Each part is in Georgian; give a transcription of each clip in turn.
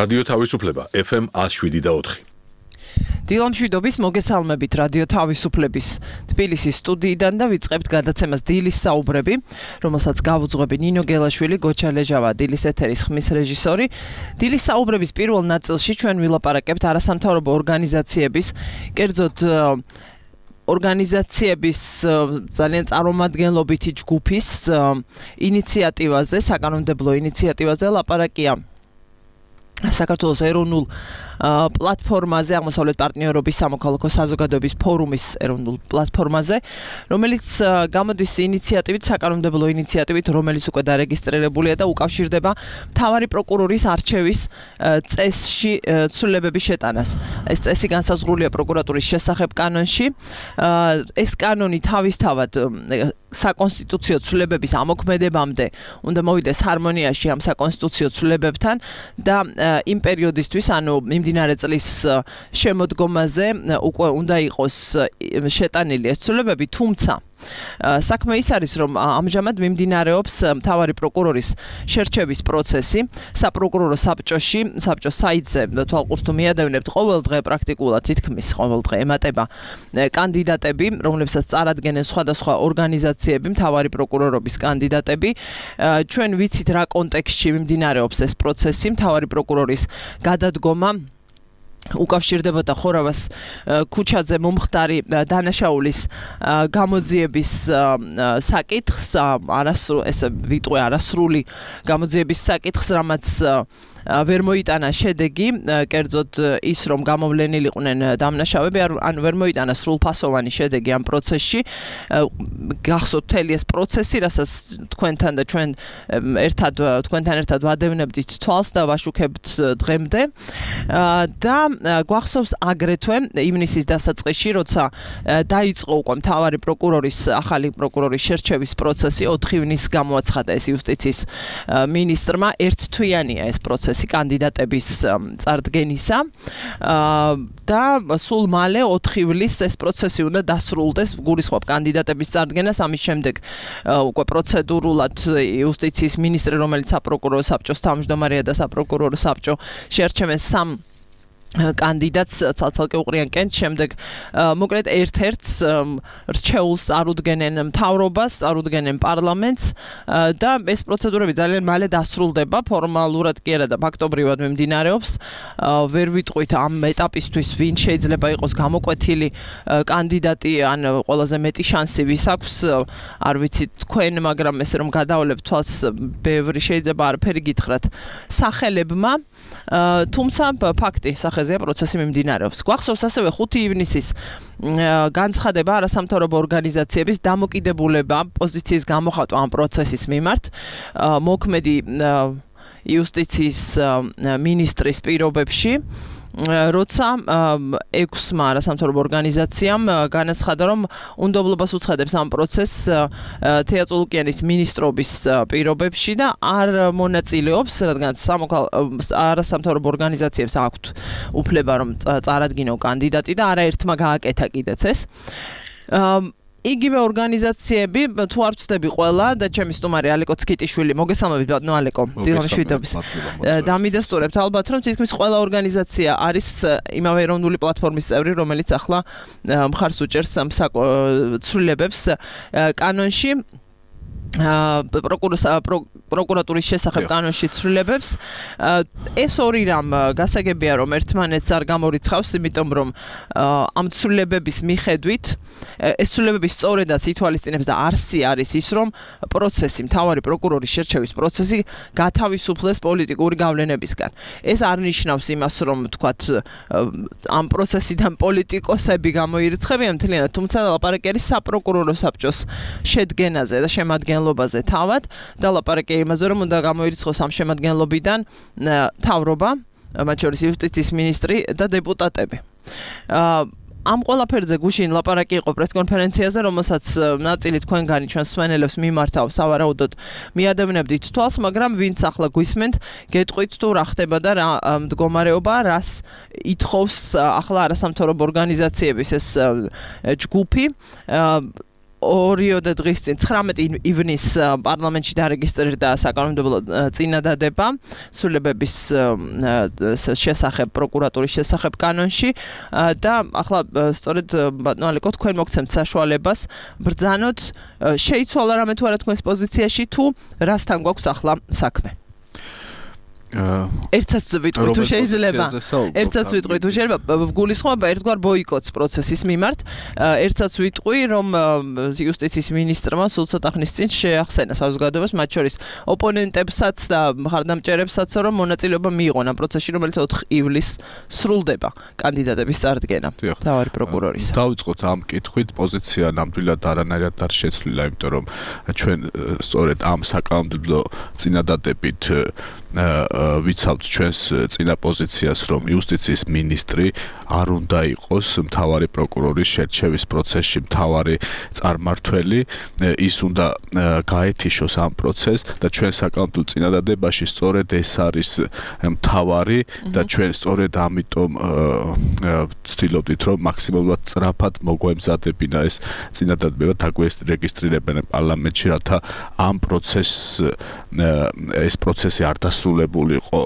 რადიო თავისუფლება FM 107.4. დილამშვიდობის მოგესალმებით რადიო თავისუფლების თბილისის სტუდიიდან და ვიწყებთ გადაცემას დილის საუბრები, რომელსაც გავუძღვები ნინო გელაშვილი, გოჩა ლეჟავა, დილის ეთერის ხმის რეჟისორი. დილის საუბრების პირველ ნაწილში ჩვენ ვილაპარაკებთ არასამთავრობო ორგანიზაციების, კერძოდ ორგანიზაციების ძალიან წარმომადგენლობითი ჯგუფის ინიციატივაზე, საკანონმდებლო ინიციატივაზე ლაპარაკია საქართველოს ეროვნულ პლატფორმაზე, აღმოსავლეთ პარტნიორობის სამოქალაქო საზოგადოების ფორუმის ეროვნულ პლატფორმაზე, რომელიც გამოდის ინიციატივით, საკანონმდებლო ინიციატივით, რომელიც უკვე დარეგისტრირებულია და უკავშირდება მთავარი პროკურორის არჩევის წესში ცვლილებების შეტანას. ეს წესი განსაზღვრულია პროკურატურის შესახებ კანონში. ეს კანონი თავისთავად საკონსტიტუციო ცვლილებების ამოქმედებამდე უნდა მოვიდეს ჰარმონიაში ამ საკონსტიტუციო ცვლილებებთან და იმ პერიოდისთვის, ანუ მიმდინარე წლის შემოდგომაზე უკვე უნდა იყოს შეტანილი ეს ცვლილებები, თუმცა საქმე ის არის, რომ ამჟამად მიმდინარეობს მთავარი პროკურორის შერჩევის პროცესი საპროკურორო საბჭოში, საბჭოს საიტზე თვალყურს თუ მიადევნებთ ყოველ დღე პრაქტიკულად თითქმის ყოველ დღე ემატება კანდიდატები, რომლებსაც წარადგენენ სხვადასხვა ორგანიზაციები, მთავარი პროკურორობის კანდიდატები. ჩვენ ვიცით რა კონტექსტში მიმდინარეობს ეს პროცესი, მთავარი პროკურორის გადადგომა უკავშირდებოდა ხორავას ქუჩაძე მომხდარი დანაშაულის გამოძიების საკითხს, არასრული გამოძიების საკითხს, რამაც ვერ მოიტანა შედეგი, კერძოდ ის, რომ გამოვლენილიყვნენ დამნაშავეები, ან ვერ მოიტანა სრულფასოვანი შედეგი ამ პროცესში. გახსოვთ მთელი ეს პროცესი, რასაც თქვენთან და ჩვენ თქვენთან ერთად ვადევნებდით თვალს და ვაშუქებთ დღემდე. და გვახსოვს აგრეთვე ივნისის დასაწყისში, როცა დაიწყო უკვე მთავარი პროკურორის, ახალი პროკურორის შერჩევის პროცესი, 4 ივნისს გამოაცხადა ეს იუსტიციის მინისტრმა, ერთთვიანია ეს პროცესი კანდიდატების წარდგენისა და სულ მალე 4 ივლისს ეს პროცესი უნდა დასრულდეს, გულისხმობ კანდიდატების წარდგენას, ამის შემდეგ უკვე პროცედურულად იუსტიციის მინისტრი, რომელიც საპროკურორო საბჭოს თავმჯდომარეა და საპროკურორო საბჭო შეერჩევენ 3 კანდიდატს ცალ-ცალკე უყრიან კენჭს, შემდეგ მოკლედ ერთ-ერთს რჩეულს წარუდგენენ მთავრობას, წარუდგენენ პარლამენტს და ეს პროცედურები ძალიან მალე დასრულდება, ფორმალურად კი არა და ფაქტობრივად მიმდინარეობს. ვერ ვიტყვით ამ ეტაპისთვის ვინ შეიძლება იყოს გამოკვეთილი კანდიდატი, ან ყველაზე მეტი შანსი ვის აქვს, არ ვიცით თქვენ, მაგრამ ესე რომ გადავლებთ თვალს, ბევრი შეიძლება არაფერი გითხრათ სახელებმა, თუმცა ფაქტი სახეზეა პროცესი მიმდინარეობს. გვახსოვს ასევე 5 ივნისის განცხადება არასამთავრობო ორგანიზაციების დამოკიდებულება პოზიციის გამოხატვა ამ პროცესის მიმართ, მოქმედი იუსტიციის მინისტრის პირობებში, როცა 6-მა არასამთავრობო ორგანიზაციამ განაცხადა, რომ უნდობლობას უცხადებს ამ პროცესს თეატრულუკიანის მინისტრობის პირობებში და არ მონაწილეობს, რადგან არასამთავრობო ორგანიზაციებს აქვთ უფლება, რომ წარადგინონ კანდიდატი და არაერთმა გააკეთა კიდეც ეს. იგივე ორგანიზაციები, თუ არ ვცდები ყველა და ჩემი სტუმარი ალეკო ცკიტიშვილი, მოგესალმებით ბატონო ალეკო, დილამშვიდობის. დამიდასტურებთ ალბათ, რომ თითქმის ყველა ორგანიზაცია არის იმავე ეროვნული პლატფორმის წევრი, რომელიც ახლა მხარს უჭერს ცვლილებებს კანონში. პროკურატურის შესახებ კანონში ცვლილებებს. ეს ორი რამ გასაგებია, რომ ერთმანეთს არ გამორიცხავს, იმიტომ რომ ამ ცვლილებების მიხედვით ეს ცვლილებები სწორედაც ითვალისწინებს და არსი არის ის, რომ პროცესი, მთავარი პროკურორის შერჩევის პროცესი გათავისუფლდეს პოლიტიკური გავლენებისგან. ეს არ ნიშნავს იმას, რომ თქვათ ამ პროცესიდან პოლიტიკოსები გამოირიცხებიან მთლიანად, თუმცა ლაპარაკი არის საპროკურორო საბჭოს შედგენაზე და შემადგენლობაზე თავად და ლაპარაკი იმაზე, რომ უნდა გამოირიცხოს ამ შემადგენლობიდან მთავრობა, მათ შორის იუსტიციის მინისტრი და დეპუტატები. ამ ყველაფერზე გუშინ ლაპარაკი იყო პრესკონფერენციაზე, რომელსაც ნაწილი თქვენგანი ჩვენს მსმენელებს მიმართავ, სავარაუდოდ მიადევნებდით თვალს, მაგრამ ვინც ახლა გვისმენთ, გეტყვით თუ რა ხდება და რა მდგომარეობა, რას ითხოვს ახლა არასამთავრობო ორგანიზაციების ეს ჯგუფი. ორიოდე დღის წინ 19 ივნისს პარლამენტში დარეგისტრირდა საკანონმდებლო წინადადება სრულებების შესახებ პროკურატურის შესახებ კანონში და ახლა სწორედ ბატონო ალეკო თქვენ მოგცემთ საშუალებას ბრძანოთ შეიცვალა რამე თუ არა თქვენს პოზიციაში თუ რასთან გვაქვს ახლა საქმე ერთსაც ვიტყვი თუ შეიძლება ერთსაც ვიტყვი თუ შეიძლება გულისხმობა ერთგვარ ბოიკოტს პროცესის მიმართ ერთსაც ვიტყვი რომ იუსტიციის მინისტრმა სულ ცოტა ხნის წინ შეახსენა საზოგადოებას მათ შორის ოპონენტებსაც და მხარდამჭერებსაც რომ მონაწილეობა მიიღონ ამ პროცესში რომელიც 4 ივლისს სრულდება კანდიდატების წარდგენა მთავარი პროკურორის დავიწყოთ ამ კითხვით პოზიცია ნამდვილად არანაირად არ შეცვლილა იმიტომ რომ ჩვენ სწორედ ამ საკანონმდებლო წინადადებით ვიცავთ ჩვენს წინა პოზიციას რომ იუსტიციის მინისტრი არ უნდა იყოს მთავარი პროკურორის შერჩევის პროცესში მთავარი წარმართველი ის უნდა გაეთიშოს ამ პროცესს და ჩვენ საკანონმდებლო წინადადებაში სწორედ ეს არის მთავარი და ჩვენ სწორედ ამიტომ ვცდილობდით რომ მაქსიმალურად სწრაფად მოგვემზადებინა ეს წინადადება დაგვერეგისტრირებენ პარლამენტში რათა ამ ეს პროცესი არ დასრულებულიყო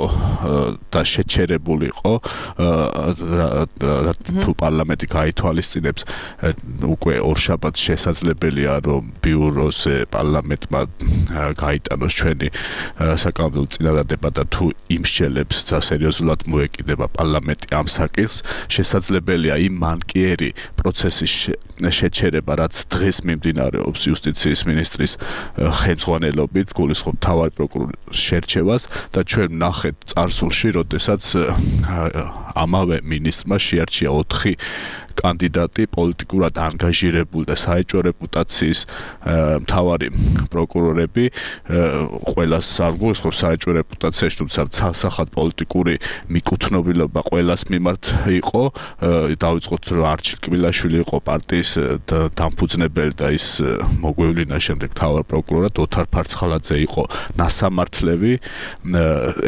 და შეჩერებულიყო თუ პარლამენტი გაითვალისწინებს უკვე ორშაბათს შესაძლებელია რომ ბიუროზე პარლამენტმა გაიტანოს ჩვენი საკანონმდებლო წინადადება და თუ იმსჯელებს სერიოზულად მოეკიდება პარლამენტი ამ საკითხს შესაძლებელია იმ მანკიერი პროცესის შეჩერება რაც დღეს მიმდინარეობს იუსტიციის მინისტრის ხელმძღვანელობით გულისხმობ მთავარი პროკურორის შერჩევას და ჩვენ ვნახეთ წარსულში, როდესაც ამავე მინისტრმა შეარჩია 4 კანდიდატი პოლიტიკურად ანგაჟირებული და საეჭვო რეპუტაციის მთავარი პროკურორები ყველას არ გულისხმობს საეჭვო რეპუტაციაში თუმცა ცალსახად პოლიტიკური მიკუთვნილობა ყველას მიმართ იყო დავიწყოთ რომ არჩილ კბილაშვილი იყო პარტიის დამფუძნებელი და ის მოგვევლინა შემდეგ მთავარ პროკურორად ოთარ ფარცხალაძე იყო ნასამართლები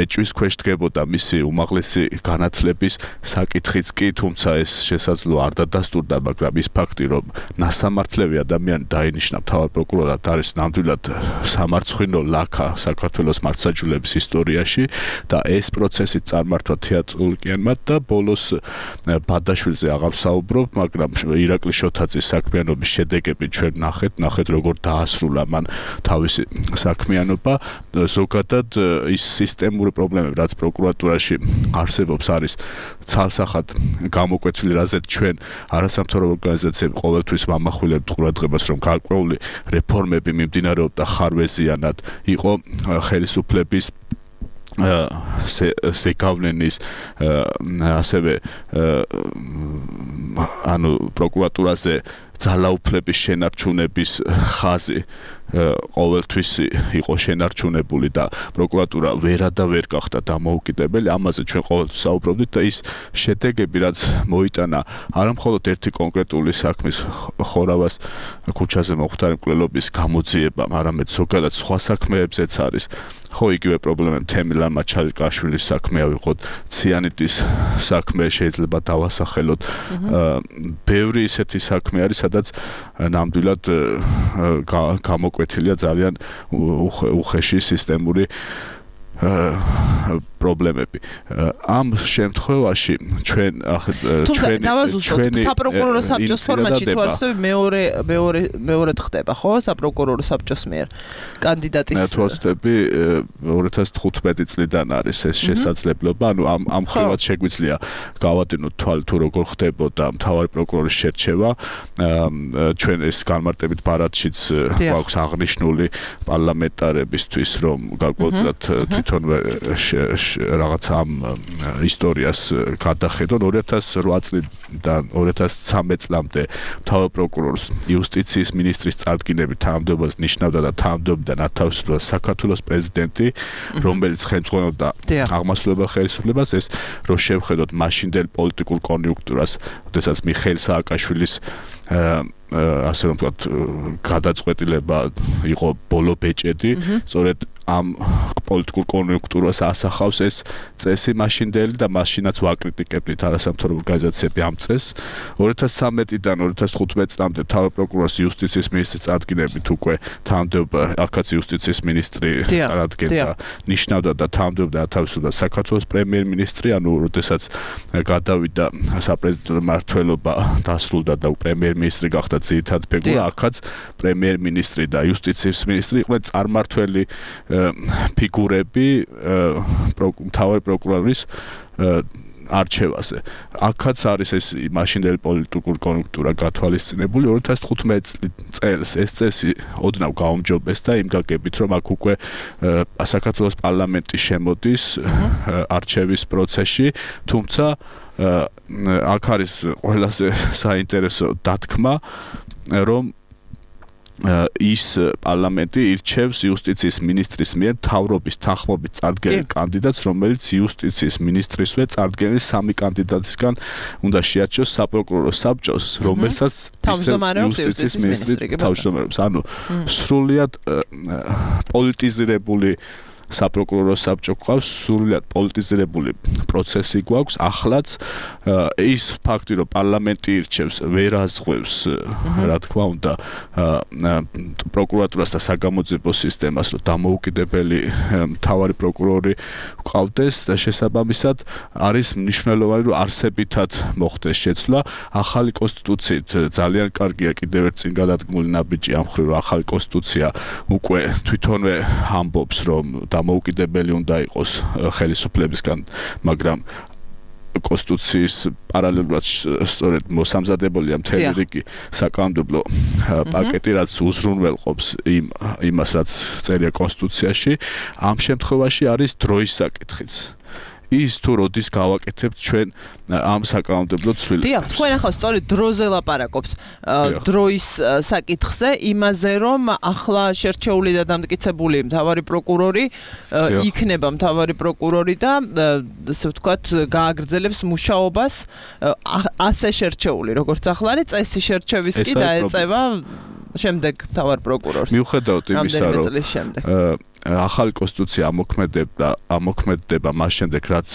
ეჭვის ქვეშ დგებოდა მისი უმაღლესი განათლების საკითხიც კი თუმცა ეს შესაძლოა არ დასტურდა, მაგრამ ის ფაქტი, რომ ნასამართლევი ადამიანი დაინიშნა მთავარ პროკურორად არის ნამდვილად სამარცხვინო ლაქა საქართველოს მართლმსაჯულების ისტორიაში და ეს პროცესი წარმართვა თეატრალურიანმა და ბოლოს ბადაშვილზე აღარ ვსაუბრობ, მაგრამ ირაკლი შოთაძის საქმიანობის შედეგები ჩვენ ნახეთ როგორ დაასრულა მან თავისი საქმიანობა ზოგადად ის სისტემური პრობლემები რაც პროკურატურაში არსებობს არის ცალსახად გამოკვეთილი რაზეც ჩვენ არასამთავრობო ორგანიზაციები ყოველთვის ვამახვილებთ ყურადღებას რომ გარკვეული რეფორმები მიმდინარეობდა ხარვეზიანად იყო ხელისუფლების ზეგავლენის ასევე ანუ პროკურატურაზე ძალაუფლების შენარჩუნების ხაზი ყოველთვის იყო შენარჩუნებული და პროკურატურა ვერ გახდა დამოუკიდებელი ამაზე ჩვენ ყოველთვის საუბრობდით და ის შედეგები რაც მოიტანა არა მხოლოდ ერთი კონკრეტული საქმის ხორავას ქუჩაზე მოხდარი მკვლელობის გამოძიებამ არამედ ზოგადად სხვა საქმეებზეც არის ხო იგივე პრობლემები თემილან მაჩალიკაშვილის საქმე ავიღოთ ციანიტის საქმე შეიძლება დავასახელოთ ბევრი ისეთი საქმე არის სადაც ნამდვილად გამოკვეთილია ძალიან უხეში სისტემური პრობლემები. ამ შემთხვევაში ჩვენ საპროკურორო საბჭოს ფორმატში თუ არსებობს მეორე ხდება, ხო? საპროკურორო საბჭოს მიერ კანდიდატის თვალსწრაფი 2015 წლიდან არის ეს შესაძლებლობა. ანუ ამ ხრივად შეგვიძლია გავადინოთ თვალი თუ როგორ ხდებოდა მთავარი პროკურორის შერჩევა. ჩვენ ეს განმარტებით ბარათშიც გვაქვს აღნიშნული პარლამენტარებისთვის, რომ გარკვეულად თვითონვე რაღაც ამ ისტორიას გადახედონ 2008 წლიდან 2013 წლამდე მთავარ პროკურორს იუსტიციის მინისტრის წარდგინებით თანამდებობას ნიშნავდა და თანამდებობიდან ათავისუფლდა საქართველოს პრეზიდენტი, რომელიც ხელმძღვანელობდა აღმასრულებელ ხელისუფლებას, ეს რო შევხედოთ მაშინდელ პოლიტიკურ კონიუნქტურას, როდესაც მიხეილ სააკაშვილის ასე რომ ვთქვათ გადაწყვეტილება იყო ბოლო ბეჭედი, სწორედ ამ პოლიტიკურ კონიუნქტურას ასახავს ეს წესი მაშინდელი და მაშინაც ვაკრიტიკებდით არასამთავრობო ორგანიზაციები ამ წესს 2013-დან 2015 წლამდე თავი პროკურორის იუსტიციის მინისტრის წარდგინებით უკვე თანამდებობა აქაც იუსტიციის მინისტრი წარადგენდა ნიშნავდა და თანამდებობდა თავისუფლად საქართველოს პრემიერ-მინისტრი ანუ როდესაც გადავიდა საპრეზიდენტო მმართველობა დასრულდა და პრემიერ-მინისტრი გახდა ძირითადი ფიგურა აქაც პრემიერ-მინისტრი და იუსტიციის მინისტრი იყვნენ წარმმართველი ფიგურები მთავარი პროკურორის არჩევაზე. აქაც არის ეს მაშინდელი პოლიტიკური კონიუნქტურა გათვალისწინებული 2015 წელს ეს წესი ოდნავ გაუმჯობეს და იმ გაგებით რომ აქ უკვე საქართველოს პარლამენტი შემოდის არჩევის პროცესში თუმცა აქ არის ყველაზე საინტერესო დათქმა რომ ის პარლამენტი ირჩევს იუსტიციის მინისტრის მიერ მთავრობის თანხმობით წარდგენილ კანდიდატს, რომელიც იუსტიციის მინისტრისვე წარდგენილი 3 კანდიდატისგან უნდა შეარჩიოს საპროკურორო საბჭოს, რომელსაც იუსტიციის მინისტრი თავმჯდომარეობს. ანუ სრულიად პოლიტიზირებული საპროკურორო საბჭო გვყავს, სრულიად პოლიტიზირებული პროცესი გვაქვს. ახლაც ის ფაქტი, რომ პარლამენტი ირჩევს, ვერ აზღვევს, რა თქმა უნდა, პროკურატურას და საგამოძიებო სისტემას, რომ დამოუკიდებელი მთავარი პროკურორი გვყავდეს და შესაბამისად არის მნიშვნელოვანი, რომ არსებითად მოხდეს შეცვლა. ახალი კონსტიტუციით ძალიან კარგია კიდევ ერთ წინ გადადგმული ნაბიჯი ამ მხრივ, რომ ახალი კონსტიტუცია უკვე თვითონვე ამბობს, რომ დამოუკიდებელი უნდა იყოს ხელისუფლებისგან, მაგრამ კონსტიტუციის პარალელურად სწორედ მოსამზადებულია მთელი რიგი საკანონმდებლო პაკეტი, რაც უზრუნველყოფს იმას, რაც წერია კონსტიტუციაში. ამ შემთხვევაში არის დროის საკითხიც. ის თუ როდის გავაკეთებთ ჩვენ ამ საკანონმდებლო ცვლილებას. დიახ, თქვენ ახლა სწორედ დროზე ლაპარაკობთ. დროის საკითხზე, იმაზე რომ ახლა შერჩეული და დამტკიცებული მთავარი პროკურორი იქნება მთავარი პროკურორი და ასე ვთქვათ, გააგრძელებს მუშაობას ასე შერჩეული, როგორც ახლა არის წესი შერჩევის კი დაეწევა შემდეგ მთავარ პროკურორს. მიუხედავად იმისა, რომ ახალი კონსტიტუცია ამოქმედება მას შემდეგ, რაც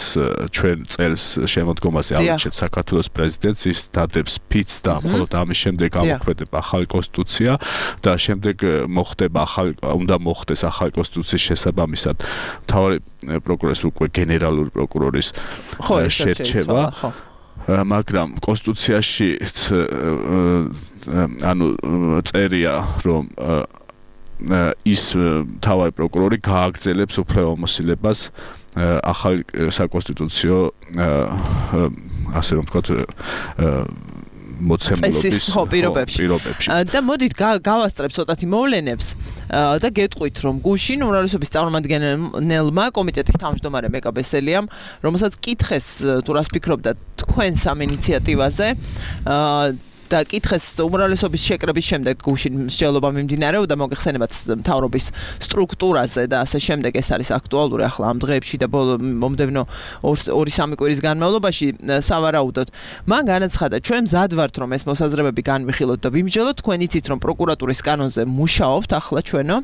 ჩვენ წელს შემოდგომაზე ავირჩევთ საქართველოს პრეზიდენტს, ის დადებს ფიცს და მხოლოდ ამის შემდეგ ამოქმედება ახალი კონსტიტუცია და შემდეგ უნდა მოხდეს ახალი კონსტიტუციის შესაბამისად მთავარი პროკურორის უკვე გენერალური პროკურორის შერჩევა. მაგრამ კონსტიტუციაში ანუ წერია, რომ ის მთავარი პროკურორი გააგრძელებს უფლებამოსილებას ახალი საკონსტიტუციო ასე რომ ვთქვათ მოცემულობის პირობებში. და მოდით გავასწრებ ცოტათი მოვლენებს და გეტყვით, რომ გუშინ უმრავლესობის წარმომადგენელმა კომიტეტის თავმჯდომარე მეკა ბესელიამ, რომელსაც კითხეს თუ რას ფიქრობდა თქვენს ამ ინიციატივაზე, და კითხეს უმრავლესობის შეკრების შემდეგ გუშინ მსჯელობა მიმდინარეობდა მოგეხსენებათ მთავრობის სტრუქტურაზე და ასე შემდეგ ეს არის აქტუალური ახლა ამ დღეებში და მომდევნო 2-3 კვირის განმავლობაში სავარაუდოდ მან განაცხადა ჩვენ მზად ვართ რომ ეს მოსაზრებები განვიხილოთ და ვიმსჯელოთ თქვენ იცით რომ პროკურატურის კანონზე მუშაობთ ახლა ჩვენო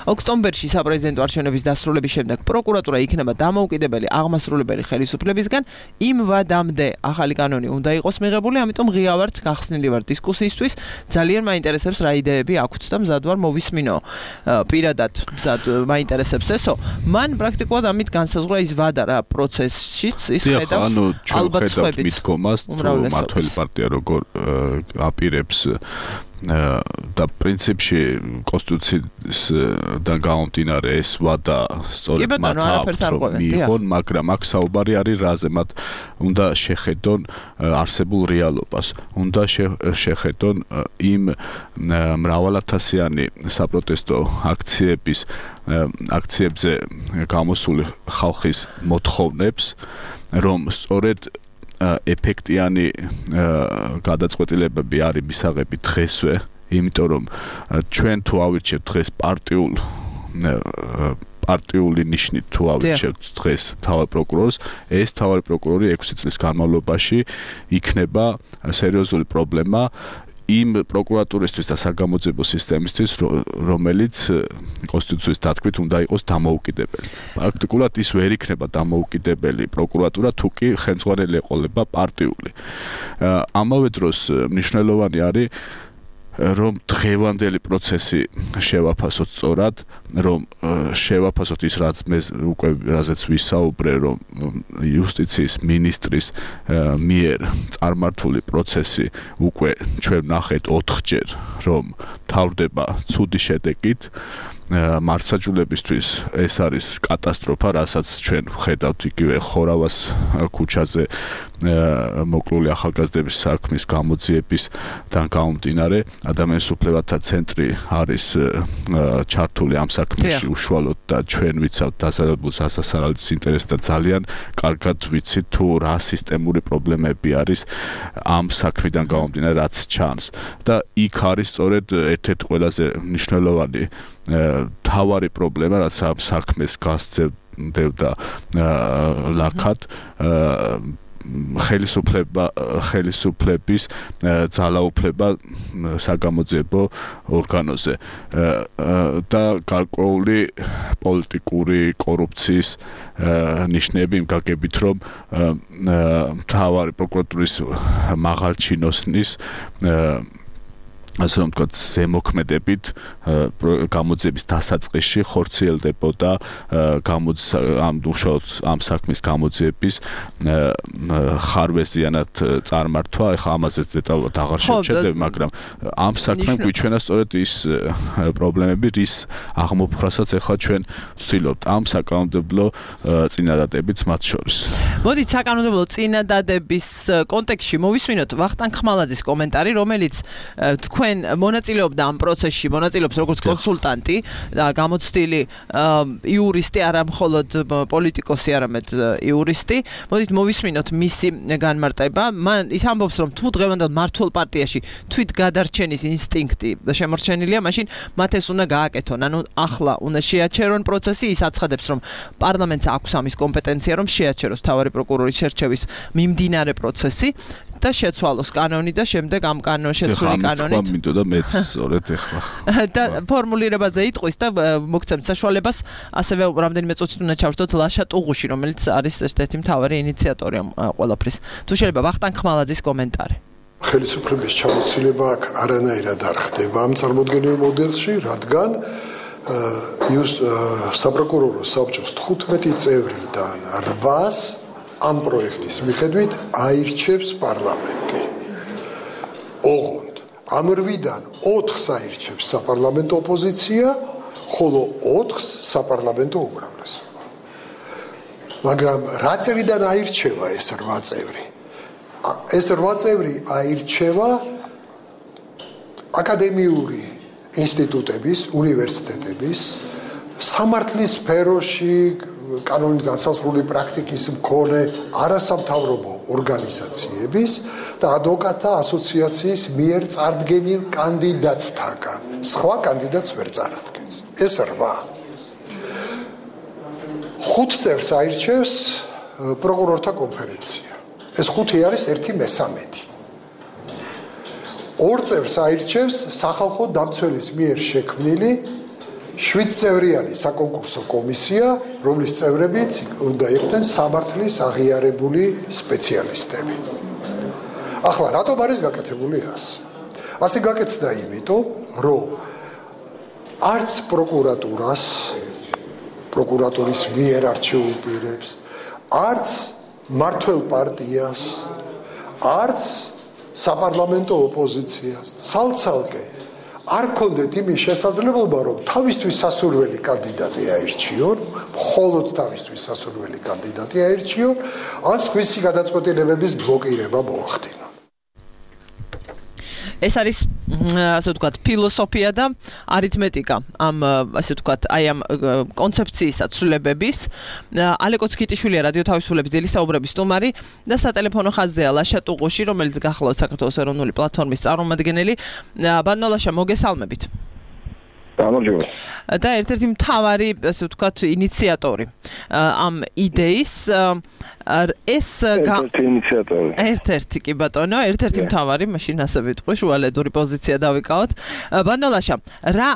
ოქტომბერში საპრეზიდენტო არჩევნების დასრულების შემდეგ პროკურატურა იქნება დამოუკიდებელი აღმასრულებელი ხელისუფლებისგან იმ ვადამდე ახალი კანონი უნდა იყოს მიღებული ამიტომ ღია ვართ გახსნილი ვარ დისკუსიისთვის ძალიან მაინტერესებს რა იდეები აქვთ და მზად ვარ მოვისმინო პირადად მზად მაინტერესებს ესო მან პრაქტიკულად ამით განსაზღვრა ის ვადა რა პროცესშიც ის ხედავს ალბათ ხედავთ მიდგომას თუ მართველი პარტია როგორ აპირებს და პრინციპში კონსტიტუციისგან გამომდინარე ეს ვადა სწორედ მათ მიიღონ, მაგრამ აქ საუბარი არის რაზე, მათ უნდა შეხედონ არსებულ რეალობას, უნდა შეხედონ იმ მრავალათასიანი საპროტესტო აქციებზე გამოსული ხალხის მოთხოვნებს, რომ სწორედ ეფექტიანი გადაწყვეტილებები არის მისაღები დღესვე, იმიტომ რომ ჩვენ თუ ავირჩევთ დღეს პარტიული ნიშნით თუ ავირჩევთ დღეს მთავარ პროკურორს, ეს მთავარი პროკურორი 6 წლის განმავლობაში იქნება სერიოზული პრობლემა იმ პროკურატურისთვის და საგამოძიებო სისტემისთვის, რომელიც კონსტიტუციის თქმით უნდა იყოს დამოუკიდებელი. პრაქტიკულად ის ვერ იქნება დამოუკიდებელი პროკურატურა, თუ კი ხელმძღვანელი ეყოლება პარტიული. ამავე დროს მნიშვნელოვანი არის რომ დღევანდელი პროცესი შევაფასოთ სწორად, რომ შევაფასოთ ის რაც მე უკვე რაზეც ვისაუბრე, რომ იუსტიციის მინისტრის მიერ წარმართული პროცესი უკვე ჩვენ ნახეთ 4-ჯერ, რომ თავდება ცუდი შედეგით. მართლმსაჯულებისთვის ეს არის კატასტროფა, რასაც ჩვენ ვხედავთ იგივე ხორავას ქუჩაზე მოკლული ახალგაზრდების საქმის გამოძიებისგან გამომდინარე, ადამიანის უფლებათა ცენტრი არის ჩართული ამ საქმეში უშუალოდ და ჩვენ ვიცავთ დასაბუთებულ სასარალის ინტერესს და ძალიან კარგად ვიცით თუ რა სისტემური პრობლემები არის ამ საქმიდან გამომდინარე, რაც ჩანს და იქ არის სწორედ ერთ-ერთი ყველაზე მნიშვნელოვანი თავარი პრობლემა, რაც ამ საქმეს გასცემდა ლაქად ხელისუფლების ძალაუფლება საგამოძიებო ორგანოზე და გარკვეული პოლიტიკური კორუფციის ნიშნები იმ გაგებით, რომ მთავარი პროკურატურის მაღალ ჩინოსნის ასე რომ ვთქვათ, ზემოქმედებით გამოძიების დასაწყისში ხორციელდებოდა ამ საქმის გამოძიების ხარვეზიანად წარმართვა. ეხლა ამაზეც დეტალურად აღარ შევჩერდები, მაგრამ ამ საქმემ გვიჩვენა სწორედ ის პრობლემები, რის აღმოფხვრასაც ეხლა ჩვენ ვცდილობთ ამ საკანონმდებლო წინადადებით მათ შორის. მოდით საკანონმდებლო წინადადების კონტექსტში მოვისმინოთ ვახტანგ ხმალაძის კომენტარი, რომელიც თქვენ მონაწილეობდა ამ პროცესში, მონაწილეობს როგორც კონსულტანტი და გამოცდილი იურისტი, არა მხოლოდ პოლიტიკოსი, არამედ იურისტი. მოდით მოვისმინოთ მისი განმარტება. მან ის ამბობს, რომ თუ დღევანდელ მმართველ პარტიაში თვით გადარჩენის ინსტინქტი შემორჩენილია, მაშინ მათ ეს უნდა გააკეთონ. ანუ ახლა უნდა შეაჩერონ პროცესი, ის აცხადებს, რომ პარლამენტს აქვს ამის კომპეტენცია, რომ შეაჩეროს მთავარი პროკურორის შერჩევის მიმდინარე პროცესი და შეცვალოს კანონი და შემდეგ ამ შეცვლილი კანონით მინდოდა მეც სწორედ ეხლა და ფორმულირებაზე იტყვის და მოგცემთ საშუალებას ასევე რამდენიმე წუთით უნდა ჩავშთოთ ლაშა ტუღუში, რომელიც არის ერთ-ერთი მთავარი ინიციატორი ამ ყველაფრის. თუ შეიძლება ვახტანგ ხმალაძის კომენტარი. ხელისუფლების ჩამოცილება აქ არანაირად არ ხდება ამ წარმოდგენილ მოდელში, რადგან საპროკურორო საბჭოს 15 წევრიდან 8-ს ამ პროექტის მიხედვით აირჩევს პარლამენტი. ოღონდ ამ 8-დან 4-ს აირჩევს საპარლამენტო ოპოზიცია, ხოლო 4-ს საპარლამენტო უმრავლესობა. მაგრამ რა წრიდან აირჩევა ეს 8 წევრი? ეს 8 წევრი აირჩევა აკადემიური ინსტიტუტების, უნივერსიტეტების, სამართლის სფეროში კანონით განსაზღვრული პრაქტიკის მქონე არასამთავრობო ორგანიზაციების და ადვოკატთა ასოციაციის მიერ წარდგენილ კანდიდატთაგან. სხვა კანდიდატს ვერ წარადგენს. ეს 8. 5 წევრს აირჩევს პროკურორთა კონფერენცია. ეს 5 არის 1/3. 2 წევრს აირჩევს სახალხო დამცველის მიერ შექმნილი 7 წევრიანი საკონკურსო კომისია, რომლის წევრებიც უნდა იყვნენ სამართლის აღიარებული სპეციალისტები. ახლა რატომ არის გაკეთებული ასე? ასე გაკეთდა იმიტომ, რომ არც პროკურატურის მიერ არჩეულ პირებს, არც მმართველ პარტიას, არც საპარლამენტო ოპოზიციას ცალ-ცალკე არ ქონდეთ იმის შესაძლებლობა, რომ თავისთვის სასურველი კანდიდატი აირჩიონ, მხოლოდ თავისთვის სასურველი კანდიდატი აირჩიონ, ან სხვისი გადაწყვეტილებების ბლოკირება მოახდინონ. ეს არის ასე ვთქვათ ფილოსოფია და არითმეტიკა ამ ასე ვთქვათ აი ამ კონცეფციის აცვლებების. ალეკო ცქიტიშვილია რადიო თავისუფლების ძილის საუბრების სტუმარი და სატელეფონო ხაზზეა ლაშა ტუღუში, რომელიც გახლავთ საქართველოს ეროვნული პლატფორმის წარმომადგენელი. ბატონო ლაშა, მოგესალმებით. გამარჯობა. და ერთ-ერთი მთავარი ასე ვთქვათ ინიციატორი ამ იდეის ეს ერთ-ერთი კი ბატონო, ერთ-ერთი მთავარი, მაშინ ასე ვიტყვი, შუალედური პოზიცია დავიკავოთ. ბანდოლაშა, რა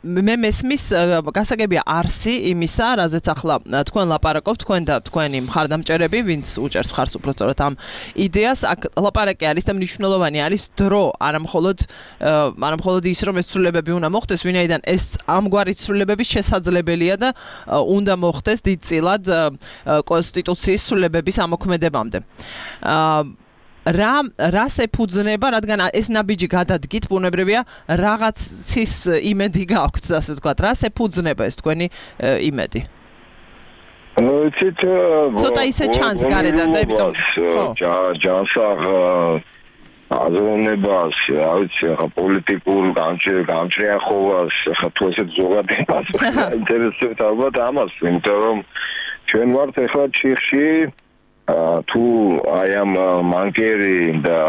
მე მესმის გასაგებია არსი იმისა, რაზეც ახლა თქვენ ლაპარაკობთ, თქვენ და თქვენი მხარდამჭერები, ვინც უჭერს მხარს უბრალოდ ამ იდეას, აქ ლაპარაკი არის და მნიშვნელოვანი არის დრო, არამხოლოდ ის, რომ ეს ცვლილებები უნდა მოხდეს, ვინაიდან ეს ამგვარი ცვლილებების შესაძლებელია და უნდა მოხდეს დიდწილად კონსტიტუციის ცვლილებების ამოქმედებამდე. რას ეფუძნება, რადგან ეს ნაბიჯი გადადგით, ბუნებრივია რაღაცის იმედი გაქვთ, ასე ვთქვათ. რას ეფუძნება ეს თქვენი იმედი? ცოტა ისე ჩანს გარედან და იმიტომ ჯანსაღ აზროვნებას, რა ვიცი, ხა პოლიტიკურ გამჭრიახობას, ხა თუ ესეთ ზოგადებას ინტერესებს ალბათ ამას, იმიტომ რომ ჩვენ ვართ ახლა ჩიხში თუ აი ამ მანკერი და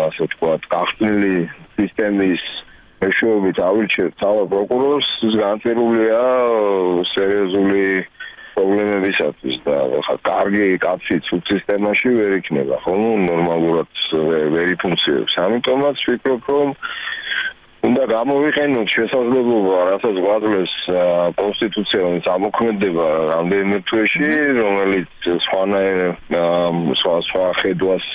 ასე ვთქვათ, გახსნილი სისტემის მეშვეობით ავირჩევთ თავად პროკურორს, ის განწერულია სერიოზული პრობლემებისათვის და ხა კარგი კაცი ცუდ სისტემაში ვერ იქნება, ხო? ნორმალურად ვერ იფუნქციონებს. ამიტომაც ვფიქრობ, რომ უნდა გამოვიყენოთ შესაძლებლობა, რასაც გვაძლევს კონსტიტუცია, რომელიც ამოქმედება რამდენიმე თვეში, რომელიც სხვა ხედვას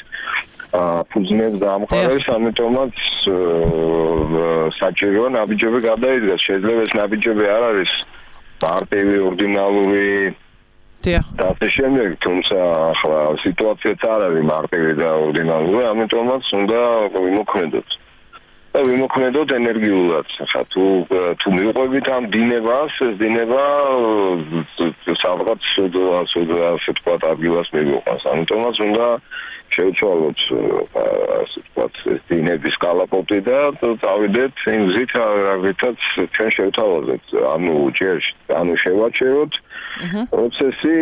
ფუძნებს და ამყარებს, ამიტომაც საჭიროა ნაბიჯები გადაიდგას. შეიძლება ეს ნაბიჯები არ არის მარტივი, ორდინალური და ასე შემდეგ, თუმცა ახლა სიტუაციაც არ არის მარტივი და ორდინალური, ამიტომაც უნდა ვიმოქმედოთ. და ვიმოქმედოთ ენერგიულად. ხა თუ მივყვებით ამ დინებას, ეს დინება სადღაც ასე ვთქვათ, ადგილას მივიყვანს. ამიტომაც უნდა შევცვალოთ ასე ვთქვათ, ეს დინების კალაპოტი და წავიდეთ იმ გზით, რითაც ჩვენ შევთავაზეთ. ანუ შევაჩეროთ პროცესი,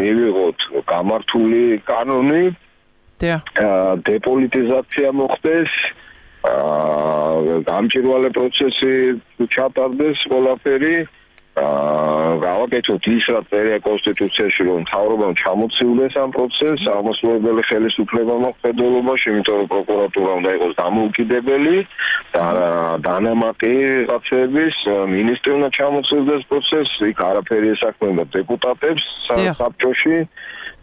მივიღოთ გამართული კანონი, დეპოლიტიზაცია მოხდეს, გამჭვირვალე პროცესი ჩატარდეს ყველაფერი, გავაკეთოთ ის, რაც წერია კონსტიტუციაში, რომ მთავრობამ ჩამოცილდეს ამ პროცესს, აღმასრულებელი ხელისუფლება მოხდელობაში, იმიტომ რომ პროკურატურა უნდა იყოს დამოუკიდებელი და დანამატი რაღაცების, მინისტრი უნდა ჩამოცილდეს პროცესს, იქ არაფერი ესაქმება დეპუტატებს საბჭოში.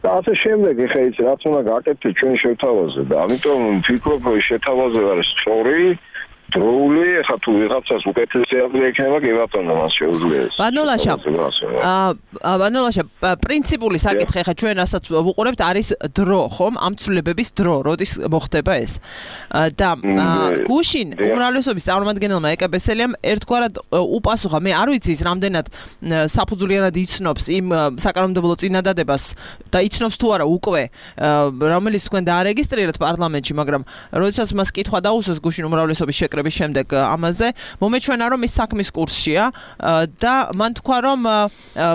და ასე შემდეგ, ეხლა ის რაც უნდა გაკეთდეს ჩვენ შევთავაზეთ და ამიტომ ვფიქრობ, რომ შეთავაზება არის სწორი, დროული, ეხლა თუ ვიღაცას უკეთესი აზრი ექნება, კი ბატონო, მას შეუძლია. ბანოლაშა, პრინციპული საკითხი, ეხლა ჩვენ რასაც ვუყურებთ, არის დრო, ხომ? ამ ცვლილებების დრო, როდის მოხდება ეს. და გუშინ უმრავლესობის წარმომადგენელმა ეკაბესელიამ ერთგვარად უპასუხა, მე არ ვიცი ის რამდენად საფუძვლიანად იცნობს იმ საკანონმდებლო წინადადებას და იცნობს თუ არა უკვე, რომელიც თქვენ დაარეგისტრირეთ პარლამენტში, მაგრამ როდესაც მას კითხვა დაუსვეს გუშინ უმრავლესობის შეკრების შემდეგ ამაზე, მომეჩვენა რომ ის საქმის კურსშია და მან თქვა რომ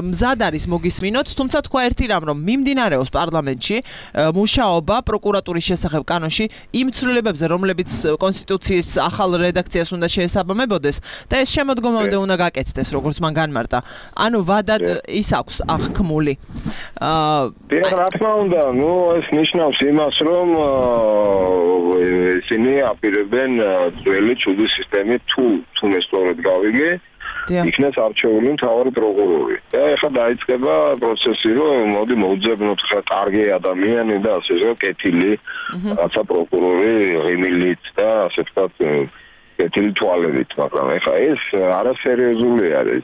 მზად არის მოგისმინოთ, თუმცა თქვა ერთი რამ, რომ მიმდინარეობს პარლამენტში მუშაობა პროკურატურის შესახებ კანონში იმ ცვლილებებზე, რომლებიც კონსტიტუციის ახალ რედაქციას უნდა შეესაბამებოდეს და ეს შემოდგომამდე უნდა გაკეთდეს, როგორც მან განმარტა. ანუ ვადად ის აქვს აღქმული. რა თქმა უნდა, ეს ნიშნავს იმას, რომ ისინი აპირებენ ძველი ცუდი სისტემით თუ მე სწორად გავიგე, იქნეს არჩეული მთავარი პროკურორი. და ეხლა დაიწყება პროცესი, რომ მოდი მოვძებნოთ ხა კარგი ადამიანი და ასე რომ კეთილი რაცა პროკურორი ღიმილით და ასე ვთქვათ კეთილი თვალებით, მაგრამ ეხლა ეს არასერიოზული არის.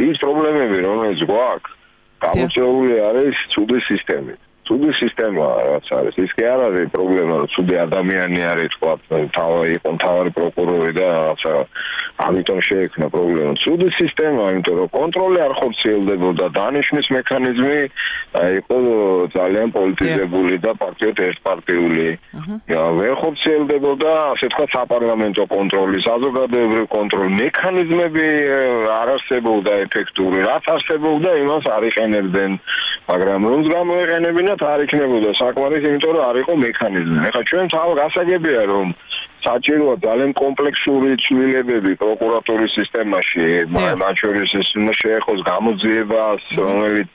ის პრობლემები, რომელიც გვაქვს, გამოწვეული არის ცუდი სისტემით. ცუდი სისტემა რაც არის, ის კი არ არის პრობლემა, რომ ცუდი ადამიანი არის, თქვა, მთავარი პროკურორი და რაცა ამიტომ შეექმნა პრობლემა. ცუდი სისტემა, იმიტომ რომ კონტროლი არ ხორციელდებოდა, დანიშვნის მექანიზმი იყო ძალიან პოლიტიზებული და პარტიოთ ერთპარტიული. ვერ ხორციელდებოდა, ასე თქვა, საპარლამენტო კონტროლი, საზოგადოებრივი კონტროლი, მექანიზმები არ არსებობდა ეფექტური. რაც არსებობდა, იმას არ იყენებდნენ, მაგრამ რომც გამოეყენებინათ არ იქნებოდა საკმარის, იმიტომ რომ არ იყო მექანიზმი. ეხლა ჩვენ გასაგებია, რომ საჭიროა ძალიან კომპლექსური ცვლილებები პროკურატურის სისტემაში, მათ შორის ეს შეეხოს გამოძიებას, რომელიც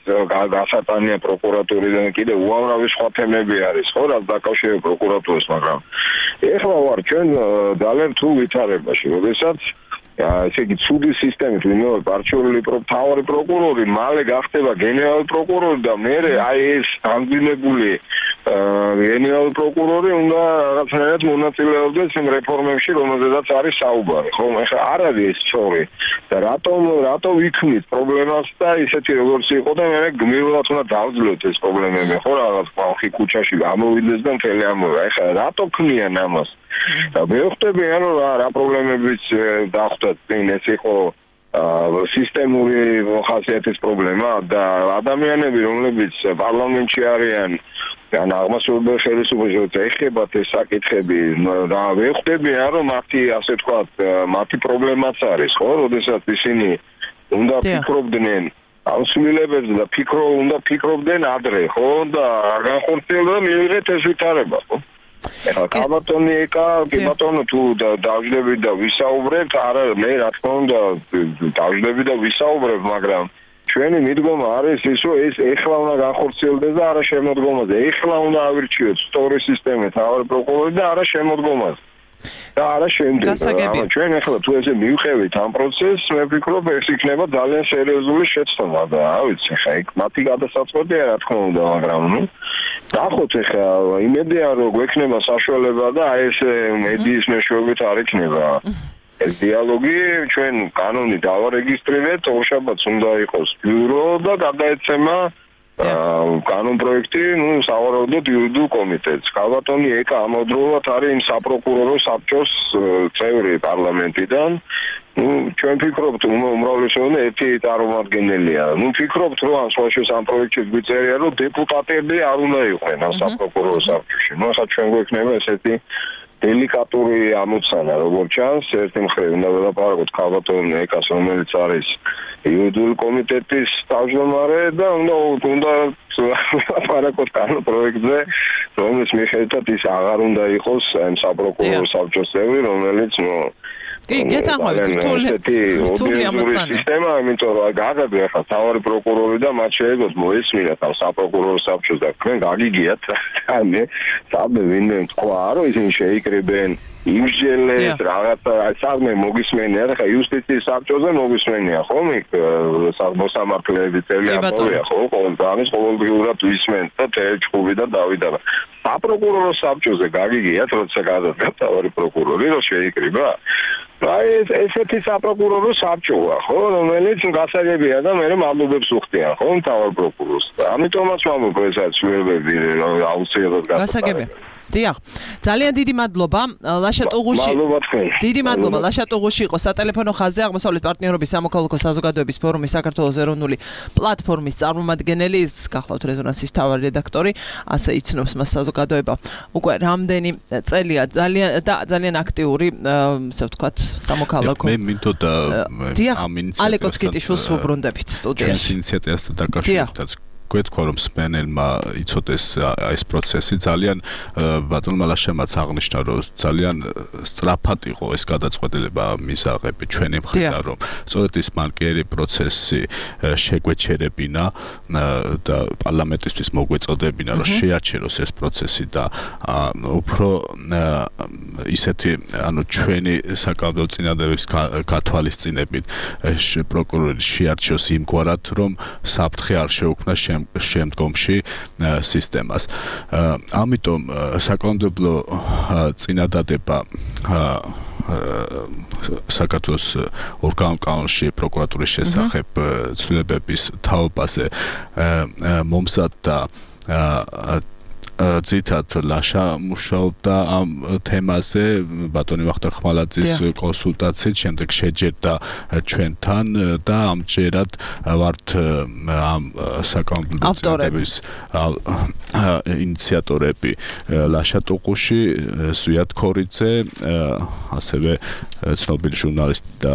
გასატანია პროკურატურიდან, კიდევ უამრავი სხვა თემები არის, ხო, რაც დაკავშირებით პროკურატურას, მაგრამ ეხლა ვარ ჩვენ ძალიან რთულ ვითარებაში, როდესაც ესე იგი ცუდი სისტემით ვინმე არჩეული მთავარი პროკურორი მალე გახდება გენერალური პროკურორი და მერე აი ეს ამდინებული გენერალური პროკურორი უნდა რაღაცნაირად მონაწილეობდეს იმ რეფორმებში, რომელზედაც არის საუბარი. ხო, ეხლა არ არის ეს სწორი და რატო ვიქმნით პრობლემას და ისეთი როგორც იყო და მე გმირულად უნდა დავძლევთ ეს პრობლემები, ხო, რაღაც ხალხი ქუჩაში გამოვიდეს და მთელი ამბობა. ეხლა რატო ქმნიან ამას? და მე ვხვდები რომ რა პრობლემებიც დახვდათ წინ ეს იყო სისტემური ხასიათის პრობლემა და ადამიანები რომლებიც პარლამენტში არიან ან აღმასრულებელ ხელისუფლებაში ეხებათ ეს საკითხები და მე ვხვდები რომ მათი ასე ვთქვათ მათი პრობლემაც არის ხო როდესაც ისინი უნდა ფიქრობდნენ ავსრულებებზე და უნდა ფიქრობდნენ ადრე ხო და განხორციელდა მიიღეთ ეს ვითარება ხო ეხლა კაბატონი ეკა, კაბატონო თუ დავждები და ვისაუბრებთ, არა მე რა თქმა უნდა დავждები და ვისაუბრებ, მაგრამ ჩვენი მიდგომა არის ის, რომ ეს ეხლა უნდა განხორციელდეს და არა შემოდგომაზე. ეხლა უნდა ავირჩიოთ სწორი სისტემით თავი პროკურორი და არა შემოდგომაზე. და არა შემდეგ. ჩვენ ეხლა თუ ესე მივყევით ამ პროცესს, მე ვფიქრობ ეს იქნება ძალიან სერიოზული შეცდომა და რა ვიცი, ხა იქ მათი გადასაწყვეტია რა თქმა უნდა, მაგრამ დახოთ ეხლა იმედია რომ გვექნება საშუალება და აი ეს მედიის მეშვეობით არ იქნება ეს დიალოგი ჩვენ კანონი დავარეგისტრირეთ ორშაბათს უნდა იყოს ბიურო და გადაეცემა კანონ პროექტი სავარაუდოდ იურიდიულ კომიტეტს კაბატონი ეკა ამავდროულად არის იმ საპროკურორო საბჭოს წევრი პარლამენტიდან ჩვენ ვფიქრობთ უმრავლესობა ერთი წარმომადგენელია ვფიქრობთ რომ ამ სხვაშორის ამ პროექტში გვიწერია რომ დეპუტატები არ უნდა იყვნენ ამ საპროკურორო საბჭოში ახლა ჩვენ გვექნება ესეთი დელიკატური ამოცანა როგორც ჩანს ერთი მხრივ უნდა ველაპარაკოთ კაბატონ ეკას რომელიც არის იურიდიული კომიტეტის თავმჯდომარე და უნდა ველაპარაკოთ კანონ პროექტზე რომელიც მიხედვით ის აღარ უნდა იყოს ამ საპროკურორო საბჭოს წევრი რომელიც კი, გეთანხმებით, რთული ამოცანა. სისტემა, იმიტომ რომ გაგები ახლა თავი პროკურორი და მათ შეეგოთ მოესმინათ ამ საპროკურორო საბჭოს და თქვენ გაგიგიათ და მე საბე ვინმე თქვა რომ ისინი შეიკრიბენ იმსჯელეს რაღაცა საქმე მოგისმენია და ხა იუსტიციის საბჭოზე მოგისმენია ხომ იქ მოსამართლეები წელი ამბობია ხო ყოველდღიურად ვისმენთ და თეჩხუბი და დავიდა საპროკურორო საბჭოზე გაგიგიათ როცა გადადგა თავი პროკურორი რომ შეიკრიბა აი ესეთი საპროკურორო საბჭოა ხო რომელიც გასაგებია და მე მადლობებს უხდიან ხო თავი პროკურორს ამიტომაც ვამბობ ესაც ვერბები რომ აუცილებლად გასაგებია დიახ, ძალიან დიდი მადლობა ლაშა ტუღუში. დიდი მადლობა ლაშა ტუღუში იყო სატელეფონო ხაზზე აღმოსავლეთ პარტნიორობის სამოქალაქო საზოგადოების ფორუმის საქართველოს ეროვნული პლატფორმის წარმომადგენელი, გახლავთ რეზონანსის მთავარი რედაქტორი, ასე იცნობს მას საზოგადოება. უკვე რამდენი წელია ძალიან აქტიური, ასე ვთქვათ, სამოქალაქო. მე მინდოდა ამ ინიციატივას ალეკო ცკიტიშვილს უბრუნდებით სტუდიაში. ჩვენს ინიციატივასთან დაკავშირებით გვეთქვა რომ სპენელმა იცოდეს ეს პროცესი ძალიან ბატონმა ლაშამაც აღნიშნა რომ ძალიან სწრაფად იყო ეს გადაწყვეტილება მისაღები ჩვენი მხრიდან რომ სწორედ ის მანკიერი პროცესი შეგვეჩერებინა და პარლამენტისთვის მოგვეწოდებინა რომ შეაჩეროს ეს პროცესი და უფრო ისეთი ანუ ჩვენი საკანონმდებლო წინადადების გათვალისწინებით პროკურორი შეარჩიოს იმგვარად რომ საფრთხე არ შეუქმნა შემდგომში სისტემას. ამიტომ საკანონმდებლო წინადადება საქართველოს ორგანულ კანონში პროკურატურის შესახებ ცვლილებების თაობაზე მომზადდა ძირითადად ლაშა მუშაობდა ამ თემაზე ბატონი ვახტანგ ხმალაძის კონსულტაციით შემდეგ შეჯერდა ჩვენთან და ამჯერად ვართ ამ საკანონმდებლო წინადადების ინიციატორები ლაშა ტუღუში ზვიად ქორიძე ასევე ცნობილი ჟურნალისტი და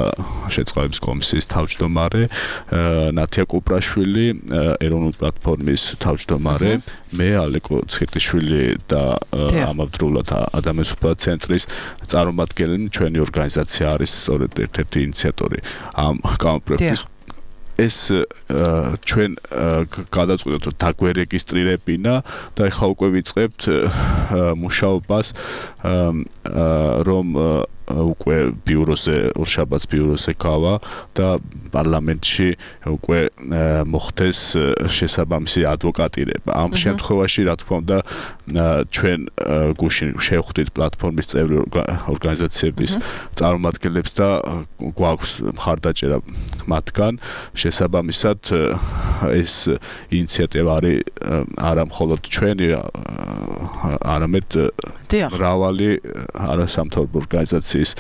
შეწყვილების კომისიის თავმჯდომარე ნათია კუპრაშვილი ეროვნული პლატფორმის თავმჯდომარე მე ალეკო ცხიტიშვილი და ამავდროულად ადამიანის უფლებათა ცენტრის წარმომადგენელი ჩვენი ორგანიზაცია არის სწორედ ერთ-ერთი ინიციატორი ამ კამპროექტის ეს ჩვენ გადაწყვეტეთ რომ დაგვერეგისტრირებინა და ეხლა უკვე ვიწყებთ მუშაობას რომ უკვე ბიუროზე ორშაბათს ბიუროზე გავა და პარლამენტში უკვე მოხდეს შესაბამისი ადვოკატირება. ამ შემთხვევაში რა თქმა უნდა ჩვენ გუშინ შევხვდით პლატფორმის წევრი ორგანიზაციების წარმომადგენლებს და გვაქვს მხარდაჭერა მათგან შესაბამისად ეს ინიციატივა არის არა მხოლოდ ჩვენი არამედ მრავალი არასამთავრობო ორგანიზაციის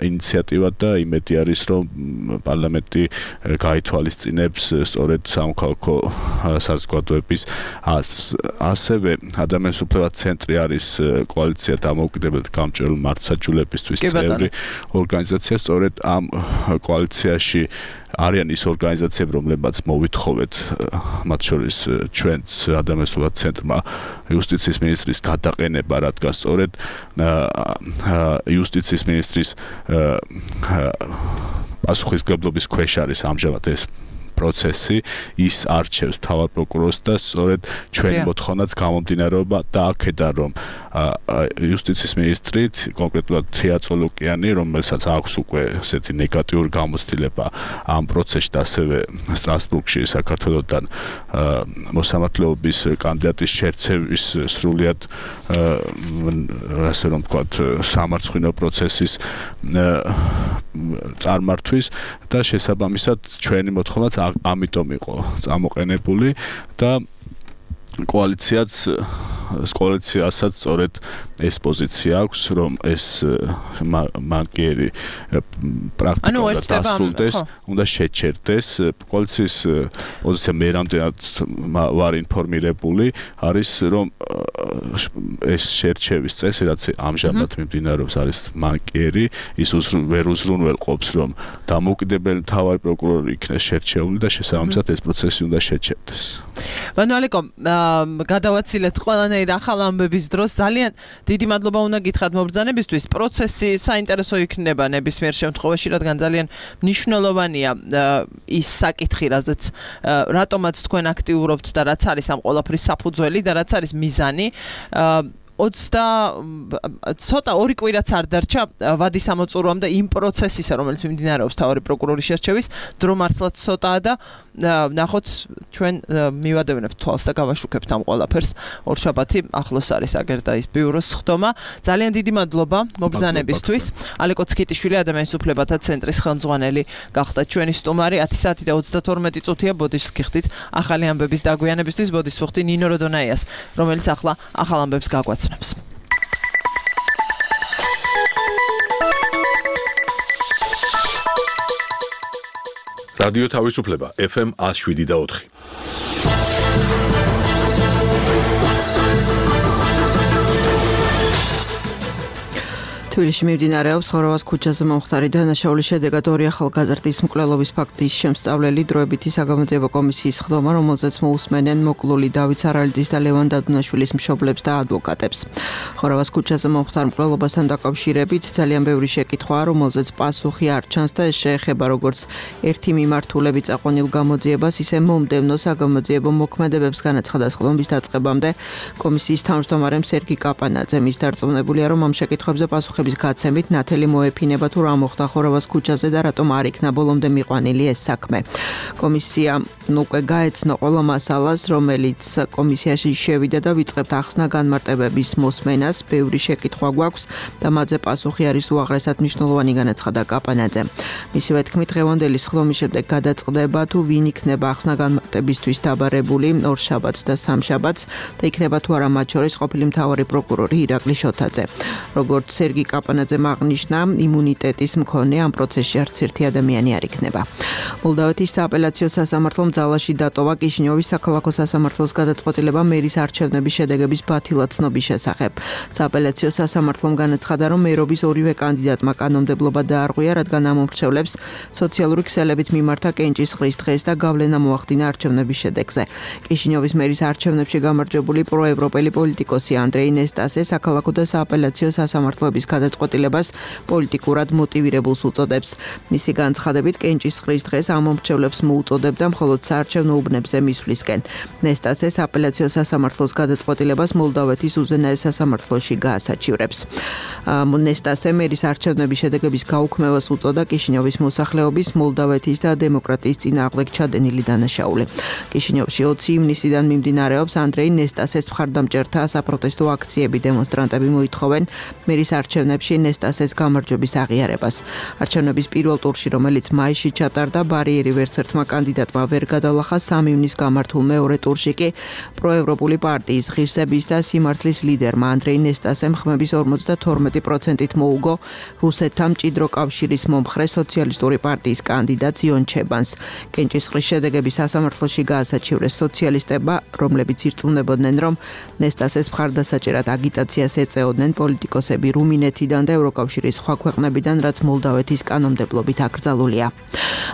ინიციატივა და იმედი არის რომ პარლამენტი გაითვალისწინებს სწორედ სამოქალაქო საზოგადოების ასევე ადამიანის უფლებათა ცენტრი არის კოალიცია დამოუკიდებელი გამჭვირვალე მართლმსაჯულებისთვის წევრი ორგანიზაცია სწორედ ამ კოალიციაში არიან ის ორგანიზაციები რომლებსაც მოვითხოვეთ მათ შორის ჩვენც ადამიანის უფლებათა ცენტრმა იუსტიციის მინისტრის გადაყენება რადგან სწორედ იუსტიციის მინისტრის პასუხისმგებლობის ქვეშ არის ამჟამად ეს პროცესი ის არჩევს თავად პროკურორს და სწორედ ჩვენი მოთხოვნაც გამომდინარეობა და აქედან რომ იუსტიციის მინისტრით კონკრეტულად თია წოლოკიანი რომელსაც აქვს უკვე ესეთი ნეგატიური გამოცდილება ამ პროცესში და ასევე სტრასბურგში საქართველოსთან მოსამართლეობის კანდიდატის შერჩევის სრულიად ასე რომ ვთქვათ სამარცხვინო პროცესის წარმართვის და შესაბამისად ჩვენი მოთხოვნაც ამიტომ იყო წამოყენებული და კოალიციასაც სწორედ ეს პოზიცია აქვს რომ ეს მანკიერი პრაქტიკულად დასრულდეს უნდა შეჩერდეს კოალიციის პოზიცია მე რამდენად ვარ ინფორმირებული არის რომ ეს შერჩევის წესი რაც ამჟამად მიმდინარეობს არის მანკიერი ის ვერ უზრუნველყოფს რომ დამოუკიდებელი მთავარი პროკურორი იქნეს შერჩეული და შესაბამისად ეს პროცესი უნდა შეჩერდეს. ვანალიკო გადავაცილეთ ყველანაირ ახალ ამბების დროს ძალიან დიდი მადლობა უნდა გითხრათ მობრძანებისთვის პროცესი საინტერესო იქნება ნებისმიერ შემთხვევაში რადგან ძალიან მნიშვნელოვანია ის საკითხი რატომაც თქვენ აქტიურობთ და რაც არის ამ ყველაფრის საფუძველი და რაც არის მიზანი 20 ცოტა ორი კვირაც არ დარჩა ვადის ამოწურვამდე იმ პროცესისა რომელიც მიმდინარეობს თავარი პროკურორის შერჩევის დრო მართლაც ცოტაა და ნახოთ ჩვენ მივადევნებთ თვალს და გავაშუქებთ ამ ყველაფერს ორშაბათი ახლოს არის აგერდა ის ბიუროს ხდომა ძალიან დიდი მადლობა მობრძანებისთვის ალეკო ცხიტიშვილი ადამიანის უფლებათა ცენტრის ხელმძღვანელი გახდა ჩვენი სტუმარი 10 საათი და 32 წუთია ბოდიშს გიხდით ახალი ამბების დაგვიანებისთვის ბოდიშს ვხდი ნინო როდონაიას რომელიც ახლა ახალ ამბებს გაგვაცნობს რადიო თავისუფლება FM 107.4 თბილისში მიმდინარეობს ხოროვას ქუჩაზე მომხდარი დანაშაულის შედეგად ორი ახალგაზრდის მკვლელობის ფაქტის შემსწავლელი დროებითი საგამოძიებო კომისიის ხდომა, რომელზეც მოусმენენ მოკლული დავით სარალიძის და ლევან დადუნაშვილის მშობლებს და ადვოკატებს. ხოროვას ქუჩაზე მომხდარ მკვლელობასთან დაკავშირებით ძალიან ბევრი შეკითხვაა, რომელზეც პასუხი არ ჩანს და ეს შეეხება როგორც ერთი მიმართულებით წაყვანილ გამოძიებას, ისე მომდევნო საგამოძიებო მოქმედებებს განაცხადა ხდომის დაწყებამდე კომისიის თავმჯდომარემ სერგი კაპანაძე. მის დარწმუნებულია, რომ ამ შეკითხვებზე პასუხი გაცემით ნათელი მოეფინება თუ რა მოხდა ხოროვას ქუჩაზე და რატომ არ იქნა ბოლომდე მიყვანილი ეს საქმე. კომისია უკვე გაეცნო ყველა მასალას, რომელიც კომისიაში შევიდა და ვიწყებთ ახსნა განმარტებების მოსმენას. ბევრი შეკითხვა გვაქვს და მათზე პასუხი არის უაღრესად მნიშვნელოვანი განაცხადა კაპანაძე. მისივე თქმით, დღევანდელი სხდომის შემდეგ გადაწყდება თუ ვინ იქნება ახსნა განმარტებისთვის დაბარებული ორშაბათს და სამშაბათს და იქნება თუ არა მათ შორის ყოფილი მთავარი პროკურორი ირაკლი შოთაძე. როგორც სერგი კაპანაძემ აღნიშნა, იმუნიტეტის მქონე ამ პროცესში არც ერთი ადამიანი არ იქნება. მოლდავეთის სააპელაციო სასამართლომ ძალაში დატოვა კიშინიოვის საქალაქო სასამართლოს გადაწყვეტილება მერის არჩევნების შედეგების ბათილად ცნობის შესახებ. სააპელაციო სასამართლომ განაცხადა, რომ მერობის ორივე კანდიდატმა კანონმდებლობა დაარღვია, რადგან ამ მომრჩევლებს სოციალური ქსელებით მიმართა კენჭისყრის დღეს და გავლენა მოახდინა არჩევნების შედეგზე. კიშინიოვის მერის არჩევნებში გამარჯვებული პროევროპელი პოლიტიკოსი ანდრეი ნესტასე საქალაქო და სააპელაციო სასამართლოების გადაწყვეტილებას პოლიტიკურად მოტივირებულს უწოდებს. მისი განცხადებით, კენჭისყრის დღეს ამ მომრჩევლებს მოუწოდებდა მხოლოდ საარჩევნო უბნებზე მისვლისკენ. ნესტასე სააპელაციო სასამართლოს გადაწყვეტილებას მოლდავეთის უზენაეს სასამართლოში გაასაჩივრებს. ნესტასე მერის არჩევნების შედეგების გაუქმებას უწოდა კიშინიოვის მოსახლეობის, მოლდავეთის და დემოკრატიის წინააღმდეგ ჩადენილი დანაშაული. კიშინიოვში 20 ივნისიდან მიმდინარეობს ანდრეი ნესტასეს მხარდამჭერთა საპროტესტო აქციები. დემონსტრანტები მოითხოვენ მერის არჩევნებში ნესტასეს გამარჯვების აღიარებას. არჩევნების პირველ ტურში, რომელიც მაისში ჩატარდა, ბარიერი ვერც ერთმა კანდიდატმა ვერ გადალახა. 3 ივნის გამართულ მეორე ტურში კი პროევროპული პარტიის ღირსების და სიმართლის ლიდერმა ანდრეი ნესტასემ ხმების 52%-ით მოუგო რუსეთთან მჭიდრო კავშირის მომხრე სოციალისტური პარტიის კანდიდატ იონ ჩებანს. კენჭისყრის შედეგები სასამართლოში გაასაჩივრეს სოციალისტებმა, რომლებიც ირწმუნებოდნენ, რომ ნესტასეს მხარდასაჭერად აგიტაციას ეწეოდნენ პოლიტიკოსები რუმინეთიდან და ევროკავშირის სხვა ქვეყნებიდან, რაც მოლდავეთის კანონმდებლობით აკრძალულია.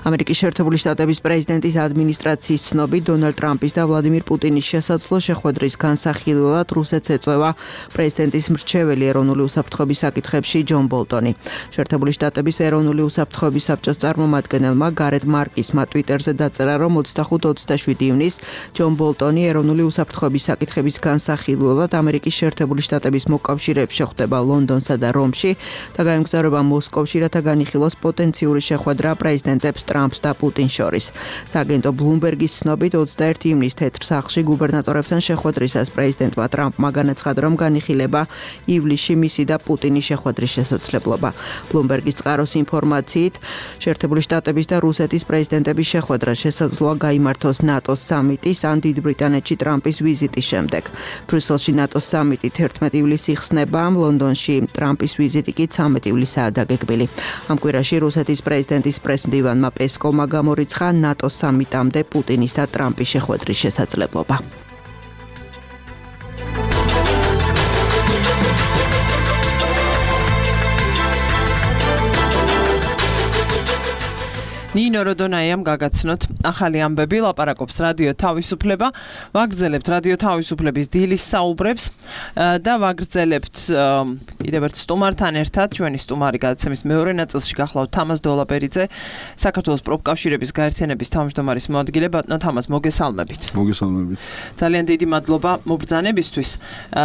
ამერიკის შეერთებული შტატების პრეზიდენტის ადმინისტრაციის ცნობით, დონალდ ტრამპის და ვლადიმირ პუტინის შესაძლო შეხვედრის განსახილველად რუსეთს ეწევა პრეზიდენტის მრჩეველი ეროვნული უსაფრთხოების საკითხებში ჯონ ბოლტონი. შეერთებული შტატების ეროვნული უსაფრთხოების საბჭოს წარმომადგენელმა გარეთ მარკისმა ტვიტერზე დაწერა, რომ 25-27 ივნის ჯონ ბოლტონი ეროვნული უსაფრთხოების საკითხების განსახილველად ამერიკის შეერთებული შტატების მოკავშირეებს შეხვდება ლონდონსა და რომში და გაემგზავრება მოსკოვში, რათა განიხილოს პოტენციური შეხვედრა პრეზიდენტებს ტრამპს და პუტინს შორის. სააგენტო ბლუმბერგის ცნობით 21 ივნის თეთრ სახლში გუბერნატორებთან შეხვედრისას პრეზიდენტმა ტრამპმა განაცხადა, რომ განიხილება ივლისში მისი და პუტინის შეხვედრის შესაძლებლობა. ბლუმბერგის წყაროს ინფორმაციით, შეერთებული შტატების და რუსეთის პრეზიდენტების შეხვედრა შესაძლოა გაიმართოს ნატოს სამიტის ან დიდ ბრიტანეთში ტრამპის ვიზიტის შემდეგ. ბრიუსელში ნატოს სამიტი 11 ივლისს იხსნება, ლონდონში ტრამპის ვიზიტი კი 13 ივლისაა დაგეგმილი. ამ კვირაში რუსეთის პრეზიდენტის პრესმდივანმა პესკოვმა გამორიცხა ნატოს სამიტამდე პუტინის და ტრამპის შეხვედრის შესაძლებლობა. ნინო როდონაიამ გაგაცნოთ ახალი ამბები, ლაპარაკობს რადიო თავისუფლება, ვაგრძელებთ რადიო თავისუფლების დილის საუბრებს და ვაგრძელებთ კიდევ ერთ სტუმართან ერთად, ჩვენი სტუმარი გადაცემის მეორე ნაწილში გახლავთ თამაზ დოლაპერიძე, საქართველოს პროფკავშირების გაერთიანების თავმჯდომარის მოადგილე. ბატონო თამაზ, მოგესალმებით. მოგესალმებით. ძალიან დიდი მადლობა მობრძანებისთვის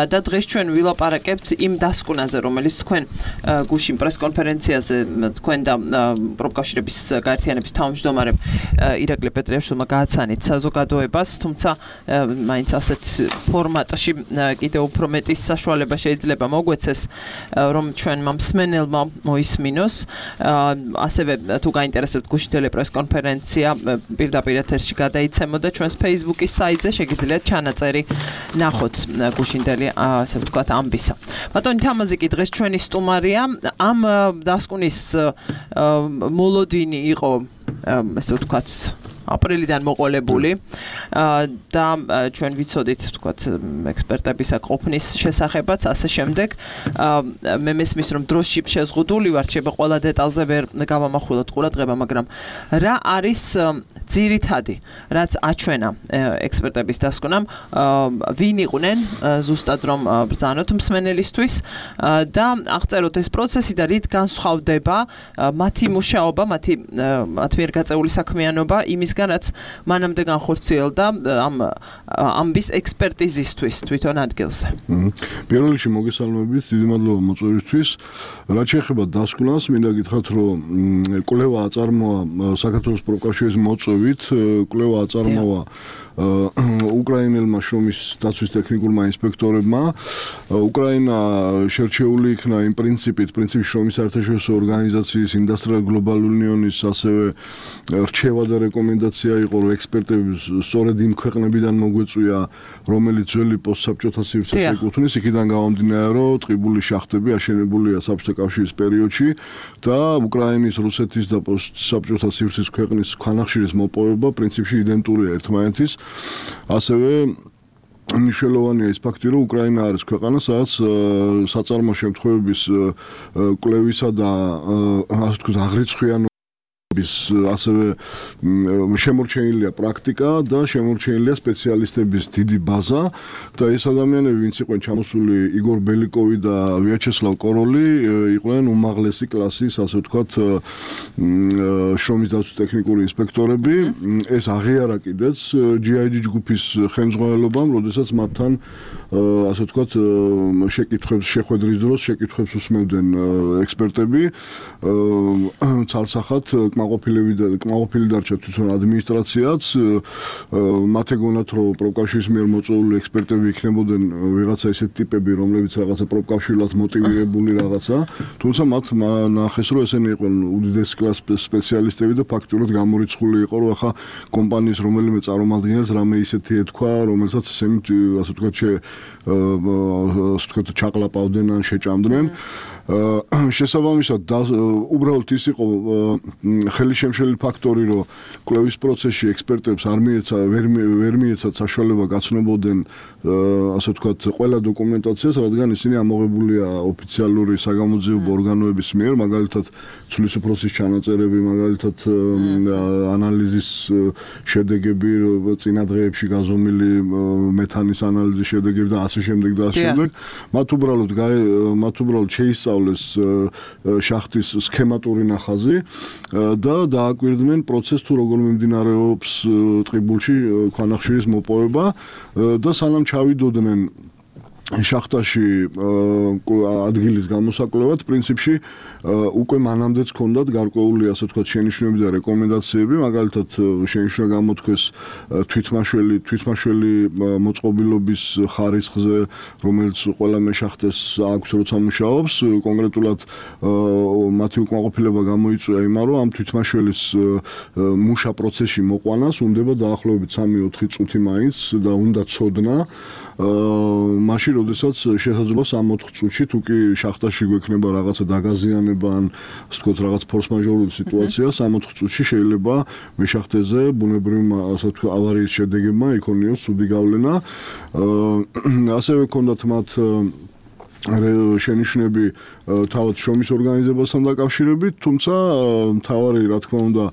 და დღეს ჩვენ ვილაპარაკებთ იმ დასკვნაზე, რომელიც თქვენ გუშინ პრესკონფერენციაზე თქვენ და პროფკავშირების გაერთიანების თავმჯდომარემ ირაკლი პეტრიაშვილმა გააცანით საზოგადოებას, თუმცა მაინც ასეთ ფორმატში კიდევ უფრო მეტი საშუალება შეიძლება მოგვეცეს, რომ ჩვენმა მსმენელმა მოისმინოს. ასევე თუ გაინტერესებთ გუშინ ტელეპრესკონფერენცია პირდაპირ ეთერში გადაიცემოდა ჩვენს Facebook-ის საიტზე, შეგიძლიათ ჩანაწერი ნახოთ გუშინდელი, ასე ვთქვათ, ამბისა. ბატონი თამაზი კი დღეს ჩვენი სტუმარია. ამ დასკვნის მოლოდინი იყო, ასე ვთქვათ, აპრილიდან მოყოლებული და ჩვენ ვიცოდით, ვთქვათ, ექსპერტებისა ყოფნის შესახებაც, ასე შემდეგ. მე მესმის, რომ დროში შეზღუდული ვარ, შეიძლება ყველა დეტალზე ვერ გავამახვილოთ ყურადღება, მაგრამ რა არის ძირითადი, რაც აჩვენა ექსპერტების დასკვნამ, ვინ იყვნენ ზუსტად რომ ბრძანოთ მსმენელისთვის და აღწეროთ ეს პროცესი და რით განსხვავდება მათი მუშაობა, მათი მიერ გაწეული საქმიანობა იმისგან, რაც მანამდე განხორციელდა ამ ამბის ექსპერტიზისთვის თვითონ ადგილზე. პირველ რიგში მოგესალმებით, დიდი მადლობა მოწვევისთვის. რაც შეეხება დასკვნას, მინდა გითხრათ, რომ კვლევა აწარმოა საქართველოს პროფკავშირის მოწვევით, კვლევა აწარმოა უკრაინელმა შრომის დაცვის ტექნიკურმა ინსპექტორებმა. უკრაინა შერჩეული იქნა იმ პრინციპით შრომის საერთაშორისო ორგანიზაციის ინდუსტრიალ გლობალ უნიონის ასევე რჩევა და რეკომენდაცია რეკომენდაცია იყო, რომ ექსპერტები სწორედ იმ ქვეყნებიდან მოგვეწვია, რომელიც ძველი პოსტსაბჭოთა სივრცეს ეკუთვნის, იქიდან გამომდინარე, რომ ტყიბული შახტები აშენებულია საბჭოთა კავშირის პერიოდში და უკრაინის, რუსეთის და პოსტსაბჭოთა სივრცის ქვეყნის ქვანახშირის მოპოვება პრინციპში იდენტურია ერთმანეთის. ასევე მნიშვნელოვანია ის ფაქტი, რომ უკრაინა არის ქვეყანა, სადაც საწარმო შემთხვევების კვლევისა და ასე ვთქვათ, აღრიცხვიანობის ასევე შემორჩენილია პრაქტიკა და შემორჩენილია სპეციალისტების დიდი ბაზა და ეს ადამიანები, ვინც იყვნენ ჩამოსული, იგორ ბელიკოვი და ვიაჩესლავ კოროლი, იყვნენ უმაღლესი კლასის, ასე ვთქვათ, შრომის დაცვის ტექნიკური ინსპექტორები. ეს აღიარა კიდეც GIG ჯგუფის ხელმძღვანელობამ, როდესაც მათთან ასე ვთქვათ, შეხვედრის დროს შეკითხვებს უსმევდნენ ექსპერტები. ცალსახად კმაყოფილი დარჩა თვითონ ადმინისტრაციაც. მათ ეგონათ, რომ პროფკავშირის მიერ მოწვეული ექსპერტები იქნებოდნენ ვიღაცა ისეთი ტიპები, რომლებიც რაღაცა პროფკავშირულად მოტივირებული რაღაცა, თუმცა მათ ნახეს, რომ ესენი იყვნენ უდიდესი კლასის სპეციალისტები და ფაქტურად გამორიცხული იყო, რომ ახლა კომპანიის რომელიმე წარმომადგენელს რამე ისეთი ეთქვა, რომელსაც ესენი ასე ვთქვათ, ჩაყლაპავდნენ ან შეჭამდნენ. შესაბამისად უბრალოდ ის იყო ხელისშემშელი ფაქტორი, რომ კვლევის პროცესში ექსპერტებს ვერ მიეცათ საშუალება გაცნობოდნენ ასე ვთქვათ, ყველა დოკუმენტაციას, რადგან ისინი ამოღებულია ოფიციალური საგამოძიებო ორგანოების მიერ, მაგალითად ცვლის უფროსის ჩანაწერები, მაგალითად ანალიზის შედეგები, წინა დღეებში გაზომილი მეთანის ანალიზის შედეგები და ასე შემდეგ და ასე შემდეგ. მათ უბრალოდ შეისწავლეს შახტის სქემატური ნახაზი და დააკვირდნენ პროცესს, თუ როგორ მიმდინარეობს ტყიბულში ქვანახშირის მოპოვება და სანამ ჩავიდოდნენ შახტაში ადგილის გამოსაკვლევად, პრინციპში უკვე მანამდეც ჰქონდათ გარკვეული, ასე ვთქვათ, შენიშვნები და რეკომენდაციები, მაგალითად შენიშვნა გამოთქვეს თვითმაშველი მოწყობილობის ხარისხზე, რომელიც ყველა მეშახტეს აქვს, როცა მუშაობს. კონკრეტულად მათი უკმაყოფილება გამოიწვია იმან, რომ ამ თვითმაშველის მუშა პროცესში მოყვანას უნდება დაახლოებით 3-4 წუთი მაინც და უნდა ცოდნა. მაშინ, როდესაც შესაძლოა 3-4 წუთში, თუ კი შახტაში გვექნება რაღაცა დაგაზიანება ან ასე ვთქვათ, რაღაც ფორს-მაჟორული სიტუაცია, 3-4 წუთში შეიძლება მეშახტეზე ბუნებრივი ასე ვთქვათ, ავარიის შედეგებმა იქონიოს ცუდი გავლენა. ასევე ჰქონდათ მათ შენიშვნები თავად შრომის ორგანიზებასთან დაკავშირებით, თუმცა მთავარი, რა თქმა უნდა,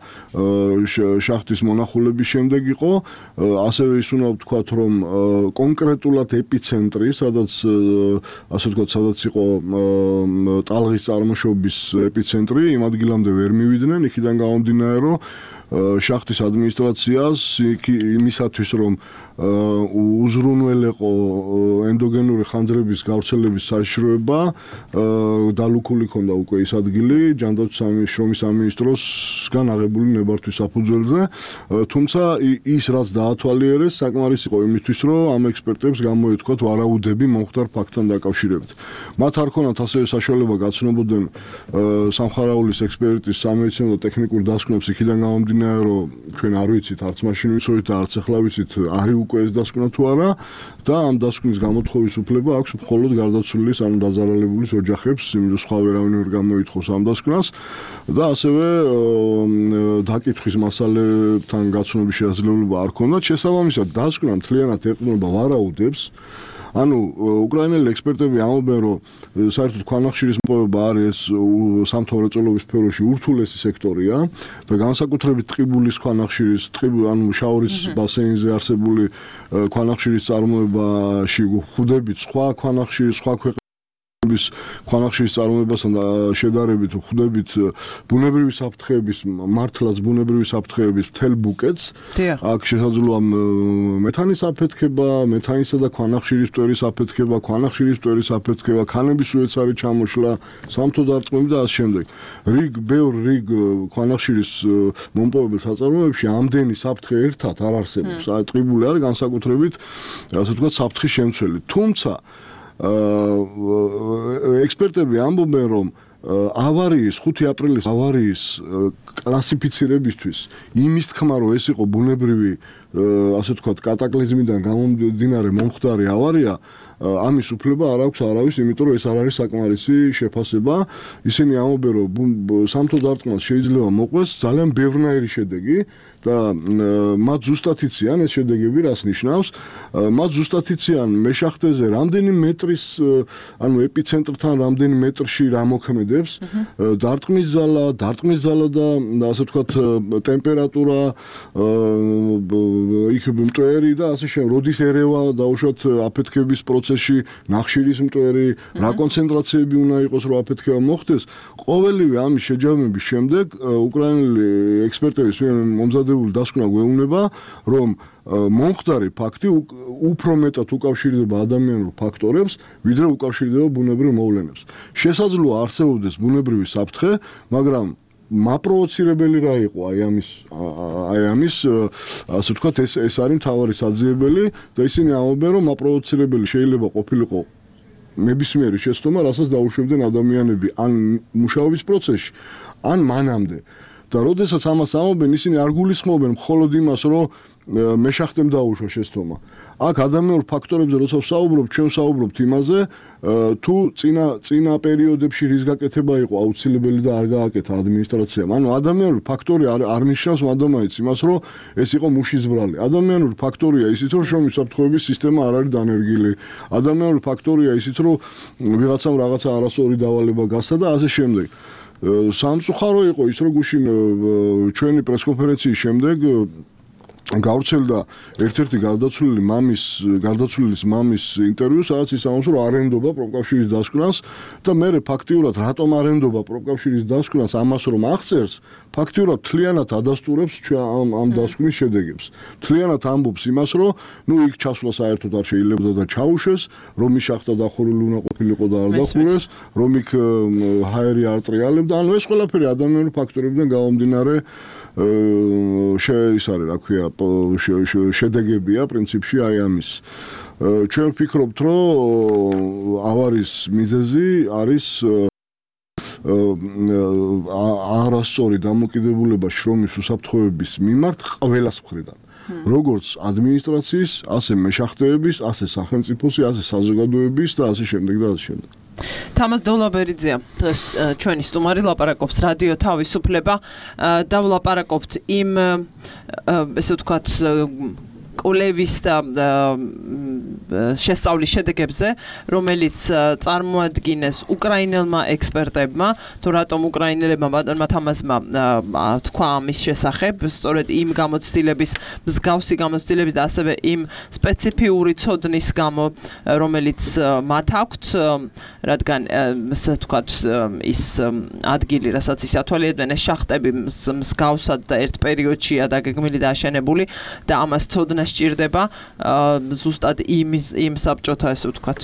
შახტის მონახულების შემდეგ იყო. ასევე ის უნდა ვთქვათ, რომ კონკრეტულად ეპიცენტრი, სადაც იყო ტალღის წარმოშობის ეპიცენტრი, იმ ადგილამდე ვერ მივიდნენ, იქიდან გამომდინარე, რომ შახტის ადმინისტრაციას იმისათვის, რომ უზრუნველეყო ენდოგენური ხანძრების გავრცელების საშიშროება, დალუქული ქონდა უკვე ის ადგილი ჯანდაცვის შრომის სამინისტროსგან აღებული ნებართვის საფუძველზე. თუმცა ის რაც დაათვალიერეს, საკმარისი იყო იმისთვის, რომ ამ ექსპერტებს გამოეთქვათ ვარაუდები მომხდარ ფაქტთან დაკავშირებით. მათ არ ქონათ ასევე საშუალება გაცნობოდნენ სამხარაულის ექსპერტის სამედიცინო და ტექნიკურ დასკვნებს, იქიდან გამომდინარე, რომ ჩვენ არ ვიცით, არც მაშინ ვიცოდით და არც ახლა ვიცით, არის უკვე ეს დასკვნა თუ არა და ამ დასკვნის გამოთხოვის უფლება აქვს მხოლოდ გარდაცვლილის, ანუ დაზარალებულის ოჯახებს, იმიტომ სხვა ვერავინ ვერ გამოითხოვს ამ დასკვნას და ასევე დაკითხვის მასალებთან გაცნობის შესაძლებლობა არ ქონდათ. შესაბამისად, დასკვნა მთლიანად ეყრდნობა ვარაუდებს. ანუ უკრაინელი ექსპერტები ამბობენ, რომ საერთოდ ქვანახშირის მოპოვება არის სამთავროწელობის სფეროში ურთულესი სექტორია და განსაკუთრებით ტყიბულის ქვანახშირის, ანუ შაორის ბასეინზე არსებული ქვანახშირის წარმოებაში ხვდებით სხვა ქვანახშირის, სხვა ქვანახშირის წარმოებასთან შედარებით ხვდებით ბუნებრივი საფრთხეების, მართლაც ბუნებრივი საფრთხეების მთელ ბუკეტს. აქ შესაძლოა მეთანისაფეთქება, მეთანისა და ქვანახშირის მტვერისაფეთქება, ქვანახშირის მტვერის αφეთქება, ქანების უეცარი ჩამოშლა, სამთო დარწმუნება და ასე შემდეგ. ბევრ ქვანახშირის მომპოვებელ საწარმოებში ამდენი საფრთხე ერთად არ არსებობს. ტყიბული არის განსაკუთრებით, ასე ვთქვათ, საფრთხის შემცველი. თუმცა ექსპერტები ამბობენ, რომ ავარიის 5 აპრილის ავარიის კლასიფიცირებისთვის იმის თქმა რომ ეს იყო ბუნებრივი ასე ვთქვათ კატაკლიზმიდან გამომდინარე მომხდარი ავარია ამის უფლება არ აქვს არავის, იმიტომ რომ ეს არ არის საკმარისი შეფასება. ისინი ამბობენ რომ სამთო დარტყმას შეიძლება მოყვეს ძალიან ბევრნაირი შედეგი და მათ ზუსტად იციან ეს შედეგები რას ნიშნავს. მათ ზუსტად იციან მეშახტეზე რამდენი მეტრის ანუ ეპიცენტრთან რამდენი მეტრში რა მოქმედებს დარტყმის ზალა და ასე ვთქვათ ტემპერატურა იქ მტვერი და ასე შემდეგ როდის ერევა დაუშვათ აფეთქების პროცესში ნახშირის მტვერი რა კონცენტრაციები უნდა იყოს რომ აფეთქება მოხდეს ყოველივე ამის შეჯამების შემდეგ უკრაინელი ექსპერტების მომზადებული დასკვნა გვეუბნება რომ მომხდარი ფაქტი უფრო მეტად უკავშირდება ადამიანურ ფაქტორებს ვიდრე უკავშირდება ბუნებრივ მოვლენებს შესაძლოა არსებობდეს ბუნებრივი საფრთხე მაგრამ მაპროვოცირებელი რა იყო აი ამის ასე ვთქვათ ეს არის მთავარი საძიებელი და ისინი ამბობენ რომ მაპროვოცირებელი შეიძლება ყოფილიყო ნებისმიერი შეცდომა რასაც დაუშვებდნენ ადამიანები ან მუშაობის პროცესში ან მანამდე და როდესაც ამას ამობენ ისინი არ გულისხმობენ მხოლოდ იმას რომ მეშახტემ დაუშვა შეცდომა აქ ადამიანურ ფაქტორებზე როცა ვსაუბრობ ჩვენ ვსაუბრობთ იმაზე თუ წინა პერიოდებში რის გაკეთება იყო აუცილებელი და არ გააკეთა ადმინისტრაციამ ანუ ადამიანური ფაქტორი არ ნიშნავს მადამაიც იმას რომ ეს იყო მუშის ბრალი ადამიანური ფაქტორია ისიც რომ შრომის საფრთხეების სისტემა არ არის დანერგილი ადამიანური ფაქტორია ისიც რომ ვიღაცამ რაღაცა არასწორი დავალება გასცა და ასე შემდეგ სამწუხარო იყო ის რომ გუშინ ჩვენი პრესკონფერენციის შემდეგ გავრცელდა ერთ-ერთი გარდაცვლილის მამის ინტერვიუ, სადაც ის ამბობს, რომ არენდობა პროფკავშირის დასკვნას და მე ფაქტიურად რატომ არენდობა პროფკავშირის დასკვნას ამას რომ აღწერს, ფაქტიურად თლიანად ადასტურებს ამ დასკვნის შედეგებს. თლიანად ამბობს იმას, რომ ნუ იქ ჩასვლა საერთოდ არ შეიძლება და ჩაუშვეს, რომ ის შახტა დახურული უნდა ყოფილიყო და არ დახურეს, რომ იქ ჰაერი არ ტრიალებდა, ანუ ეს ყველაფერი ადამიანური ფაქტორებიდან გამომდინარე ის არის რა ქვია შედეგებია პრინციპში აი ამის ჩვენ ვფიქრობთ რომ ავარიის მიზეზი არის არასწორი დამოკიდებულება შრომის უსაფრთხოების მიმართ ყველას მხრიდან როგორც ადმინისტრაციის, ასე მეშახტეების, ასე სახელმწიფოსი, ასე საზოგადოების და ასე შემდეგ და ასე შემდეგ. თამაზ დოლაბერიძეა დღეს ჩვენი სტუმარი ლაპარაკობს რადიო თავისუფლება და ვლაპარაკობთ იმ ესე ვთქვათ კვლევის და შესწავლის შედეგებზე, რომელიც წარმოადგინეს უკრაინელმა ექსპერტებმა, თუ რატომ უკრაინელებმა ბატონმა თამაზმა თქვა ამის შესახებ, სწორედ იმ გამოცდილების, მსგავსი გამოცდილების და ასევე იმ სპეციფიური ცოდნის გამო, რომელიც მათ აქვთ, რადგან ასე ვთქვათ, ის ადგილი, რასაც ის ათვალიერებდნენ, ეს შახტები მსგავსად და ერთ პერიოდშია დაგეგმილი და აშენებული და ამას ცოდნა სჭირდება ზუსტად იმ საბჭოთა ესე ვთქვათ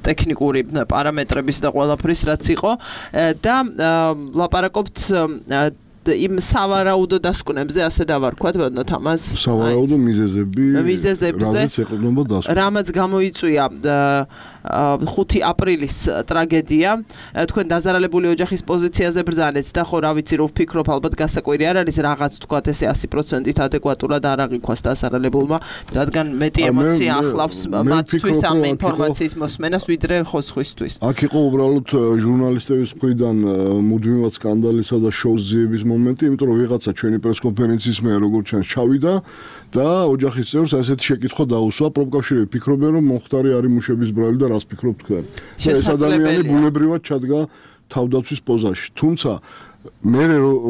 ტექნიკური პარამეტრების და ყველაფრის რაც იყო და ლაპარაკობთ იმ სავარაუდო დასკვნებზე ასე დავარქვათ ბატონო თამაზ სავარაუდო მიზეზებზე რამაც გამოიწვია 5 აპრილის ტრაგედია თქვენ დაზარალებული ოჯახის პოზიციაზე ბრძანეთ და ხო რა ვიცი რომ ვფიქრობ ალბათ გასაკვირი არ არის რაღაც თქვათ ესე 100%-ით ადეკვატურად არ აღიქვას დაზარალებულმა რადგან მეტი ემოცია ახლავს მათთვის ამ ინფორმაციის მოსმენას ვიდრე ხოსხვისთვის აქ იყო უბრალოდ ჟურნალისტების მხრიდან მუდმივად სკანდალისა და შოუს ძიების მომენტი იმიტომ რომ ვიღაცა ჩვენი პრესკონფერენციის მე როგორც ჩანს ჩავიდა და ოჯახის წევრს ასეთი შეკითხვა დაუსვა პროფკავშირები ფიქრობენ რომ მომხდარი არის მუშების ბრალი და რას ფიქრობ თქვენ ეს ადამიანი ბუნებრივად ჩადგა თავდაცვის პოზაში თუმცა მე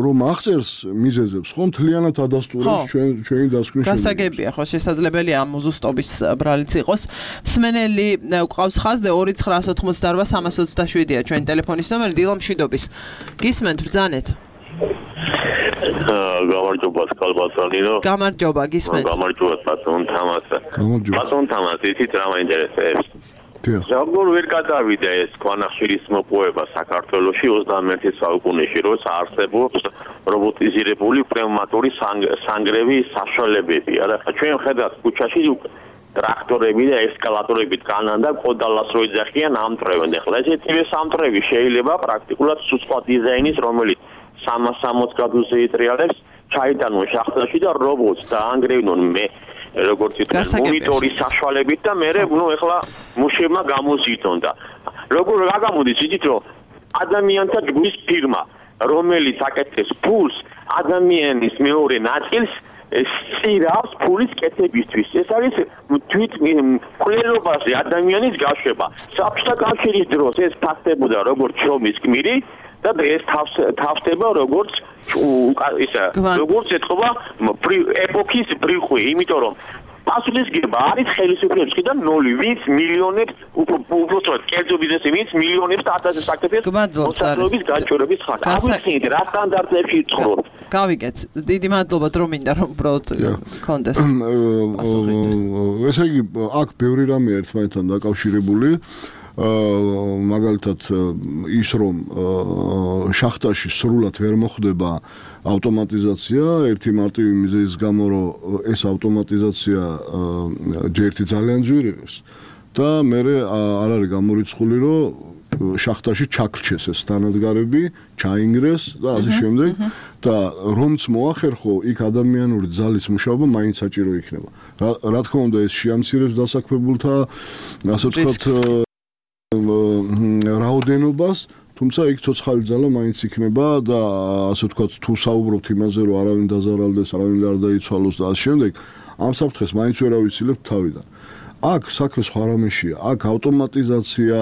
რომ აღწერს მიზეზებს ხომ თლიანად ადასტურებს ჩვენი დასკვნის გასაგებია ხო შესაძლებელია ამ უზუსტობის ბრალიც იყოს მსმენელი ყავს ხაზზე 2988-327-ია ჩვენი ტელეფონის ნომერი დილომშვიდობის გისმენთ ბრძანეთ გამარჯობა სკალბატონინო გამარჯობა გისმენთ გამარჯობა ბატონ თამაზ ბატონ თამაზ იცით რა მაინტერესებს როგორ ვერ გადავიდა ეს ქვანახშირის მოპოვება საქართველოში 21 საუკუნეში როცა არსებობს რობოტიზირებული პნევმატური სანგრევის საშუალებები არა ჩვენ ხედავთ ქუჩაში ტრაქტორები და ესკალატორები დგანან და კოდალას რო იძახიან ამტრევენ. ეხლა ესეთივე სამტრევი შეიძლება პრაქტიკულად სხვა დიზაინის, რომელიც 360 გრადუსზე იტრიალებს, ჩაიტანონ შახტაში და რობოტს დაანგრევნონ როგორც ითქვას, მონიტორის საშუალებით და მე ეხლა მუშებმა გამოზიდონ და როგორ გაგამოდის იცით რომ ადამიანთა ჯგუფის ფირმა რომელიც აკეთებს ფულს ადამიანის მეორე ნაწილს სწირავს ფულის კეთებისთვის. ეს არის თვით მკვლელობაზე ადამიანის გაშვება. საბჭოთა კავშირის დროს ეს ფაქტებოდა როგორც შრომის გმირი და დღეს თავსდება როგორც როგორც ეთქობა ეპოქის ბრიყვი, იმიტომ რომ პასუხისგება არის ხელისუფლების მხრიდან 0, ვინც მილიონებს უბრალოდ კერძო ბიზნესი ვინც მილიონებს და ათასებს აკეთებს მოსახლეობის გაჩვენების ხარჯს. აღვიხსენით რა სტანდარტებში ცხოვრობთ. გავიგეთ. დიდი მადლობა რომ მინდა რომ უბრალოდ კონდეს. ესე იგი აქ ბევრი რამეა ერთმანეთთან დაკავშირებული. მაგალითად ის რომ შახტაში სრულად ვერ მოხდება ავტომატიზაცია ერთი მარტივი მიზეზის გამო რომ ეს ავტომატიზაცია ჯერთი ძალიან ძვირი არის და მე არ არის გამორიცხული რომ შახტაში ჩაქრჩეს ეს თანადგარები, ჩაინგრეს და ასე შემდეგ და რომც მოახერხო იქ ადამიანური ძალის მუშაობა მაინც საჭირო იქნება. რა თქმა უნდა ეს შეამცირებს დასაქმებულთა ასე ვთქვათ რაოდენობას, თუმცა იქ ცოცხალი ძალა მაინც იქნება და ასე ვთქვათ თუ საუბრობთ იმაზე რომ არავინ დაზარალდეს, არავინ არ დაიცვალოს და ასე შემდეგ, ამ საფრთხეს მაინც ვერ ავიცილებთ თავიდან. აქ საქმე სხვა რამეშია. აქ ავტომატიზაცია,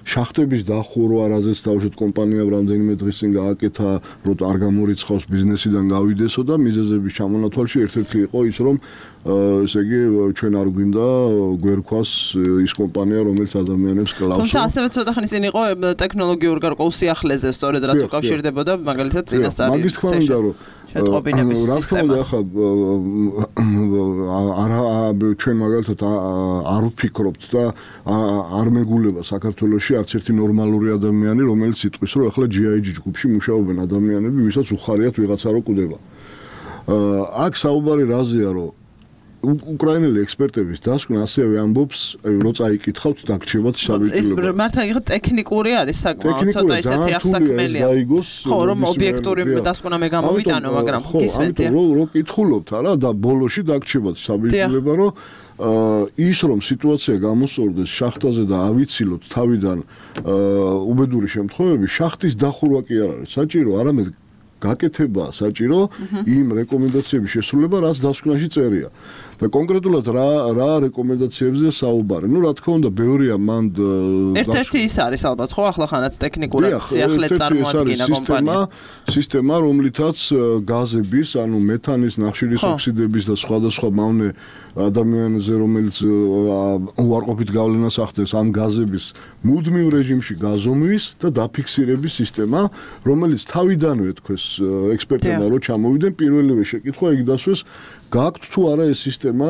შახტების დახურვა, რაზეც თავშეთ კომპანიამ რამდენიმე დღის წინ გააკეთა, რომ არ გამორიცხავს ბიზნესიდან გავიდესო და მიზეზების ჩამონათვალში ერთ-ერთი იყო ის, რომ ესე იგი ჩვენ არ გვინდა გვერქვას ის კომპანია, რომელიც ადამიანებს კლავს. თუმცა ასევე ცოტა ხნის წინ იყო ტექნოლოგიურ გარკვეულ სიახლეზე, სწორედ რაც უკავშირდებოდა მაგალითად წინასწარი. მაგის თქმა უნდა, რომ შეტყობინების სისტემას. არა ჩვენ მაგალითად არ ვფიქრობთ და არ მეგულება საქართველოში არც ერთი ნორმალური ადამიანი, რომელიც იტყვის, რომ ახლა GIG ჯგუფში მუშაობენ ადამიანები, ვისაც უხარიათ ვიღაცა რო კვდება. აქ საუბარი რაზეა, რომ უკრაინელი ექსპერტების დასკვნა ასევე ამბობს, რომ წაიკითხავთ დაგრჩევათ საბჭოთა. ეს მართლა იღო ტექნიკური არის საკმაოდ ცოტა ისეთი ახსაკმელია. ხო, რომ ობიექტური დასკვნა მე გამოვიტანო, მაგრამ გისმენთ. რო კითხულობთ, არა და ბოლოში დაგრჩევათ საბჭოთა, რომ ის რომ სიტუაცია გამოსწორდეს შახტაზე და ავიცილოთ თავიდან უბედური შემთხვევები, შახტის დახურვა კი არ არის საჭირო, არამედ გაკეთება საჭირო იმ რეკომენდაციების შესრულება, რაც დასკვნაში წერია. და კონკრეტულად რა რეკომენდაციებზე საუბარი. რა თქმა უნდა, ბევრია მან ერთ-ერთი ის არის ალბათ, ხო, ახლახანაც ტექნიკურად სიახლე წარმოადგენა კომპანია. სისტემა, რომლითაც გაზების, ანუ მეთანის, ნახშირის ოქსიდების და სხვადასხვა მავნე ადამიანზე, რომელიც უარყოფით გავლენას ახდენს ამ გაზების მუდმივ რეჟიმში გაზომვის და დაფიქსირების სისტემა, რომელიც თავიდანვე თქოს ექსპერტებმა რო ჩამოვიდნენ, პირველივე შეკითხვა იქ დასვეს გააქვთ თუ არა ეს სისტემა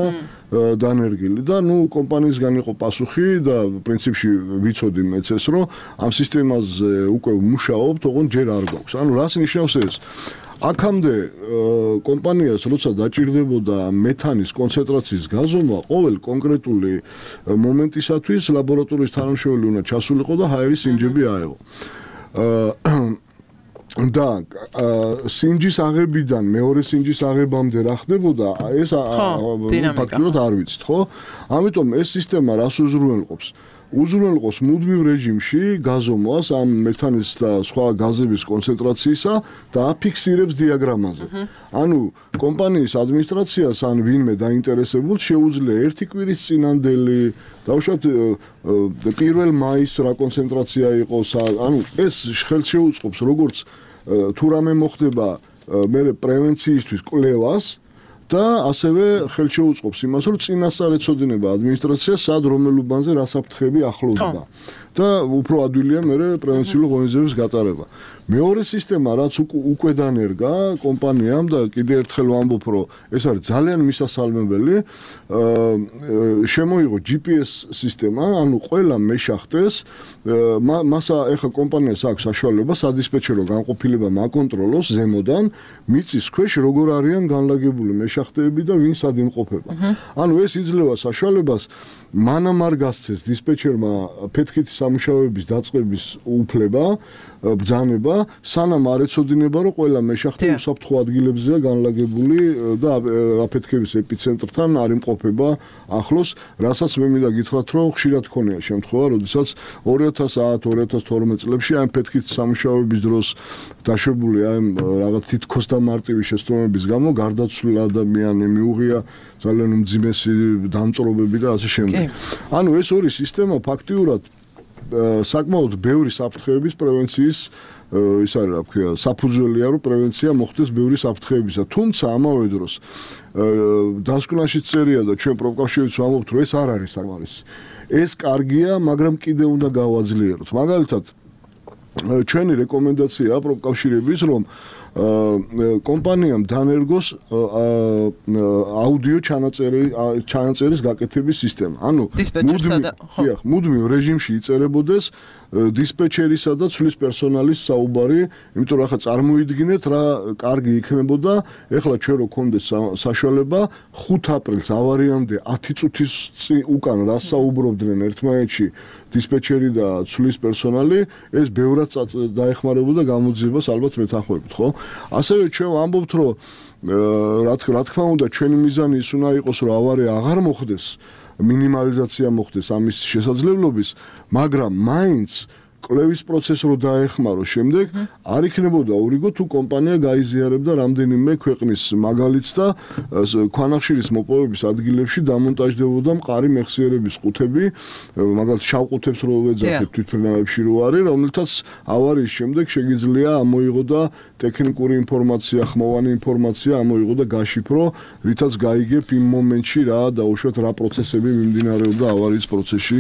დანერგილი და კომპანიისგან იყო პასუხი და პრინციპში ვიცოდი მეც ეს რომ ამ სისტემაზე უკვე მუშაობთ, ოღონდ ჯერ არ გვაქვს. ანუ რას ნიშნავს ეს? აქამდე კომპანიას როცა დაჭირდებოდა მეთანის კონცენტრაციის გაზომა, ყოველ კონკრეტული მომენტისათვის ლაბორატორიის თანამშრომელი უნდა ჩასულიყო და ჰაერის სინჯები აეღო. და სინჯის აღებიდან მეორე სინჯის აღებამდე რა ხდებოდა, ეს ფაქტურად არ ვიცით, ხო? ამიტომ ეს სისტემა რას უზრუნველყოფს? უზრუნველყოფს მუდმივ რეჟიმში გაზომვას ამ მეთანის და სხვა გაზების კონცენტრაციისა და აფიქსირებს დიაგრამაზე. ანუ კომპანიის ადმინისტრაციას ან ვინმე დაინტერესებულ შეუძლია ერთი კვირის წინანდელი დავუშვათ 1 მაისს რა კონცენტრაცია იყოს, ანუ ეს ხელს შეუწყობს როგორც თუ რამე მოხდება მე პრევენციისთვის კვლევას და ასევე ხელს შეუწყობს იმას, რომ წინასწარ ეცოდინება ადმინისტრაცია სად რომელ უბანზე რა საფრთხეები ახლოვდება. და უფრო ადვილია მე პრევენციული ღონისძიების გატარება. მეორე სისტემა რაც უკვე დანერგა კომპანიამ და კიდე ერთხელ ვამბობ რომ ეს არის ძალიან მისასალმებელი შემოიღო GPS სისტემა ანუ ყველა მეშახტეს მასა ეხა კომპანიას აქვს საშუალება სადისპეჩერო განყოფილება მაკონტროლოს ზემოდან მიწის ქვეშ როგორ არიან განლაგებული მეშახტეები და ვინ სად იმყოფება ანუ ეს იძლევა საშუალებას მანამ არ გასცეს დისპეჩერმა ფეთქითი სამუშაოების დაწყების უფლება ბრძანება სანამ არ ეცოდინება რომ ყველა მეშახტე უსაფრთხო ადგილებზეა განლაგებული და აფეთქების ეპიცენტრთან არ იმყოფება ახლოს რასაც მე მინდა გითხრათ რომ ხშირად ქონია შემთხვევა როდესაც 2010-2012 წლებში ამ ფეთქითი სამუშაოების დროს დაშვებული ამ რაღაც თითქოს და მარტივი შეცდომების გამო გარდაცვლილ ადამიანი მიუღია ძალიან უმძიმესი დამწრობები და ასე შემდეგ ანუ ეს ორი სისტემა ფაქტიურად საკმაოდ ბევრი საფრთხეების პრევენციის ის არის რა ქვია საფუძველია რომ პრევენცია მოხდეს ბევრი საფრთხეებისა თუმცა ამავე დროს დასკვნაში წერია და ჩვენ პროფკავშირიც ვამბობთ რომ ეს არ არის საკმარისი ეს კარგია მაგრამ კიდე უნდა გავაძლიეროთ მაგალითად ჩვენი რეკომენდაციაა პროფკავშირების რომ კომპანიამ დანერგოს აუდიო ჩანაწერის გაკეთების სისტემა. ანუ მუდმივ რეჟიმში იწერებოდეს დისპეჩერისა და ცვლის პერსონალის საუბარი, იმიტომ რომ ახლა წარმოიდგინეთ რა კარგი იქნებოდა, ეხლა ჩვენ რო გქონდეს საშუალება 5 აპრილს ავარიამდე 10 წუთის უკან რა საუბრობდნენ ერთმანეთში დისპეჩერი და ცვლის პერსონალი, ეს ბევრად დაეხმარებოდა გამოძიებას ალბათ მეთანხმებით, ხო? ასევე ჩვენ ვამბობთ რომ რა თქმა უნდა ჩვენი მიზანი ის უნდა იყოს რომ ავარია აღარ მოხდეს მინიმალიზაცია მოხდეს ამის შესაძლებლობის მაგრამ მაინც კვლევის პროცესს რო დაეხმარო შემდეგ არ იქნებოდა ურიგო თუ კომპანია გაიზიარებდა რამდენიმე ქვეყნის მაგალითს და ქვანახშირის მოპოვების ადგილებში დამონტაჟდებოდა მყარი მეხსიერების ყუთები მაგალითად შავ ყუთებს რო ვეძახით თვითმფრინავებში რო არის რომელთაც ავარიის შემდეგ შეგიძლია ამოიღო და ტექნიკური ინფორმაცია ხმოვანი ინფორმაცია ამოიღო და გაშიფრო რითაც გაიგებ იმ მომენტში რა დაუშვათ რა პროცესები მიმდინარეობდა ავარიის პროცესში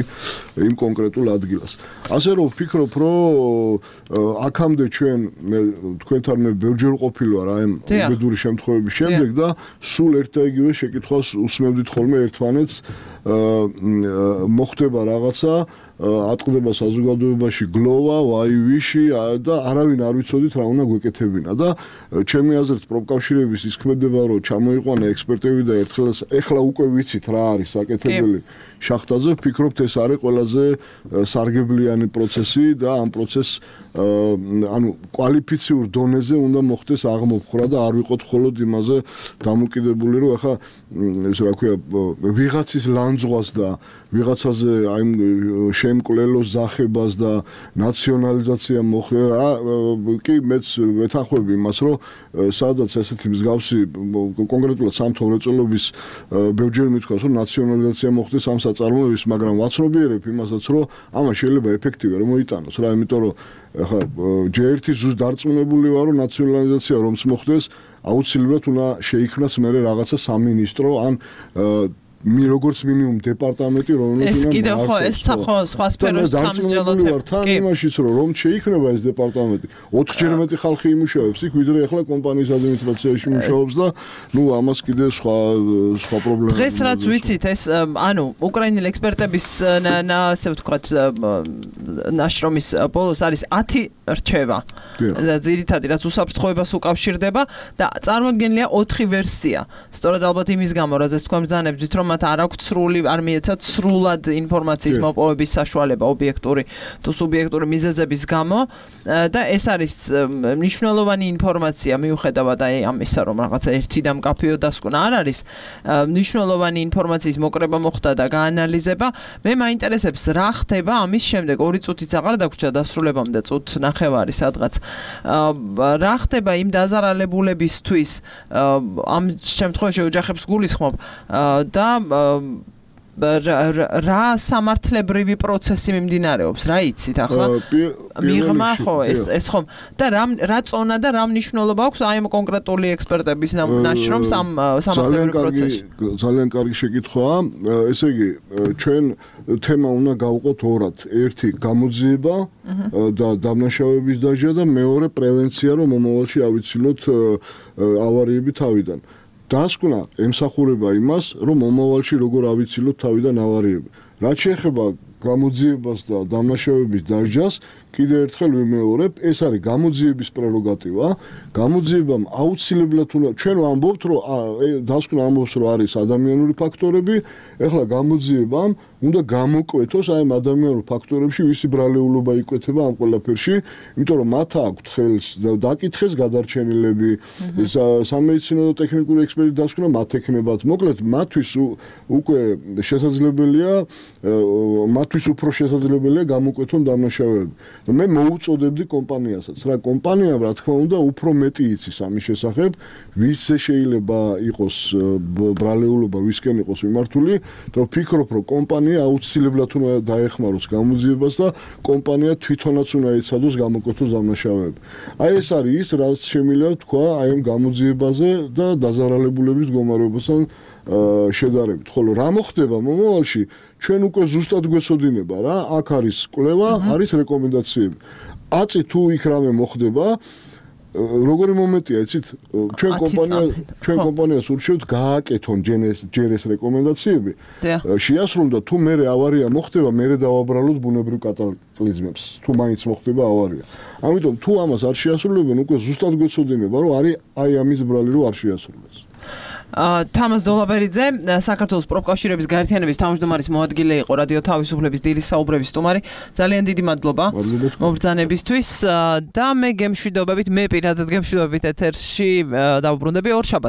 იმ კონკრეტულ ადგილას ასე რომ ვფიქრობ რომ აქამდე ჩვენ თქვენთან მე ბევრჯერ ყოფილი ვარ აი უბედური შემთხვევების შემდეგ და სულ ერთ და იგივე შეკითხვას უსმევდით ხოლმე ერთმანეთს მოხდება რაღაცა ატყდება საზოგადოებაში გლოვა, ვაივიში და არავინ არ ვიცოდით რა უნდა გვეკეთებინა და ჩემი აზრით პროფკავშირების ის ქმედება რომ ჩამოიყვანა ექსპერტები და ერთხელ ეხლა უკვე ვიცით რა არის საკეთებელი შახტაზე ვფიქრობთ ეს არის ყველაზე სარგებლიანი პროცესი და ამ პროცესს ანუ კვალიფიციურ დონეზე უნდა მოხდეს აღმოფხვრა და არ ვიყოთ მხოლოდ იმაზე დამოკიდებული რომ ახლა ეს რა ქვია ვიღაცის ლანძღვას და ვიღაცაზე აი შემკვლელოს ზახებას და ნაციონალიზაცია მოხდა კი მეც ვეთანხმები იმას რომ სადაც ესეთი მსგავსი კონკრეტულად სამთო მრეწველობის ბევრჯერ მithქვას რომ ნაციონალიზაცია მოხდეს ამ საწარმოების მაგრამ ვაცნობიერებ იმასაც რომ ამას შეიძლება ეფექტივი არ მოიტანოს რა იმიტომ რომ ახლა ჯერ-ერთი ზუსტ დარწმუნებული ვარ რომ ნაციონალიზაცია რომც მოხდეს აუცილებლად უნდა შეიქმნას მე რაღაცა სამინისტრო ან როგორც მინიმუმ დეპარტამენტი რომელიც ეს კიდევ ხო ეს სხვა სფეროს სამსჯელოთ თან იმაშიც რომ შეიქმნება ეს დეპარტამენტი 4-ჯერ მეტი ხალხი იმუშავებს იქ ვიდრე ახლა კომპანიის ადმინისტრაციაში მუშაობს და ნუ ამას კიდე სხვა პრობლემა დღეს რაც ვიცით ეს ანუ უკრაინელი ექსპერტების ასე ვთქვათ ნაშრომის ბოლოს არის 10 რჩევა და ძირითადად რაც უსაფრთხოებას უკავშირდება და წარმოდგენილია 4 ვერსია სწორედ ალბათ იმის გამო რაზეც თქვენ ბრძანებთ რომ მათ არ აქვს სრული არ მიეცათ სრულად ინფორმაციის მოპოვების საშუალება ობიექტური თუ სუბიექტური მიზეზების გამო და ეს არის მნიშვნელოვანი ინფორმაცია მიუხედავად აი ამისა რომ რაღაცა ერთი და მკაფიო დასკვნა არ არის მნიშვნელოვანი ინფორმაციის მოკრება მოხდა და გაანალიზება მე მაინტერესებს რა ხდება ამის შემდეგ 2 წუთიც აღარ დაგვრჩა დასრულებამდე წუთ ნახევარი სადღაც რა ხდება იმ დაზარალებულებისთვის ამ შემთხვევაში ოჯახებს გულისხმობ და რა სამართლებრივი პროცესი მიმდინარეობს, რა იცით ახლა? მიღმა ხო ეს ხომ და რა წონა და რა მნიშვნელობა აქვს აი ამ კონკრეტული ექსპერტების ნაშრომს ამ სამართლებრივ პროცესში? ძალიან კარგი შეკითხვაა. ესე იგი, ჩვენ თემა უნდა გავყოთ ორად. ერთი გამოძიება და დამნაშავეების დაჟა და მეორე პრევენცია, რომ მომავალში ავიცილოთ ავარიები თავიდან. დასკვნა ემსახურება იმას, რომ მომავალში როგორ ავიცილოთ თავიდან ავარიები. რაც შეეხება გამოძიებას და დამნაშავეების დაჟას, კიდევ ერთხელ ვიმეორებ, ეს არის გამოძიების პრეროგატივა. გამოძიებამ აუცილებლად უნდა ჩვენ ვამბობთ, რომ დასკვნა ამბობს, რომ არის ადამიანური ფაქტორები, ეხლა გამოძიებამ უნდა გამოკვეთოს აი ამ ადამიანურ ფაქტორებში, ვისი ბრალეულობა იკვეთება ამ ყველაფერში, იმიტომ რომ მათ აქვთ ხელს დაკითხეს გადარჩენილები, სამედიცინო და ტექნიკური ექსპერტის დასკვნა მათ ექნებათ. მოკლედ, მათთვის უკვე შესაძლებელია მათთვის უფრო შესაძლებელია გამოკვეთონ დამნაშავეები. მე მოუწოდებდი კომპანიასაც, რა კომპანიამ რა თქმა უნდა უფრო მეტი იცის ამის შესახებ, ვისზე შეიძლება იყოს ბრალეულობა, ვისკენ იყოს მიმართული და ვფიქრობ, რომ კომპანია აუცილებლად უნდა დაეხმაროს გამოძიებას და კომპანია თვითონაც უნდა ეცადოს გამოკვეთოს დამნაშავეები. აი ეს არის ის, რაც შემიძლია თქვა აი ამ გამოძიებაზე და დაზარალებულების მდგომარეობასთან შედარებით. ხოლო რა მოხდება მომავალში? ჩვენ უკვე ზუსტად გვეცოდინება რა, აქ არის კვლევა, არის რეკომენდაციები. აწი თუ იქ რამე მოხდება, როგორი მომენტია, იცით, ჩვენ კომპანიას ურჩევთ გააკეთონ ჯერ ეს რეკომენდაციები. შეასრულონ და თუ მერე ავარია მოხდება, მერე დავაბრალოთ ბუნებრივ კატაკლიზმებს, თუ მაინც მოხდება ავარია. ამიტომ თუ ამას არ შეასრულებენ, უკვე ზუსტად გვეცოდინება, რომ არის აი ამის ბრალი რომ არ შეასრულეს. თამაზ დოლაბერიძე, საქართველოს პროფკავშირების გაერთიანების თავმჯდომარის მოადგილე იყო რადიო თავისუფლების დილის საუბრების სტუმარი. ძალიან დიდი მადლობა მობრძანებისთვის და მე გემშვიდობებით, მე პირადად გემშვიდობებით ეთერში დავუბრუნდები ორ შაბათს.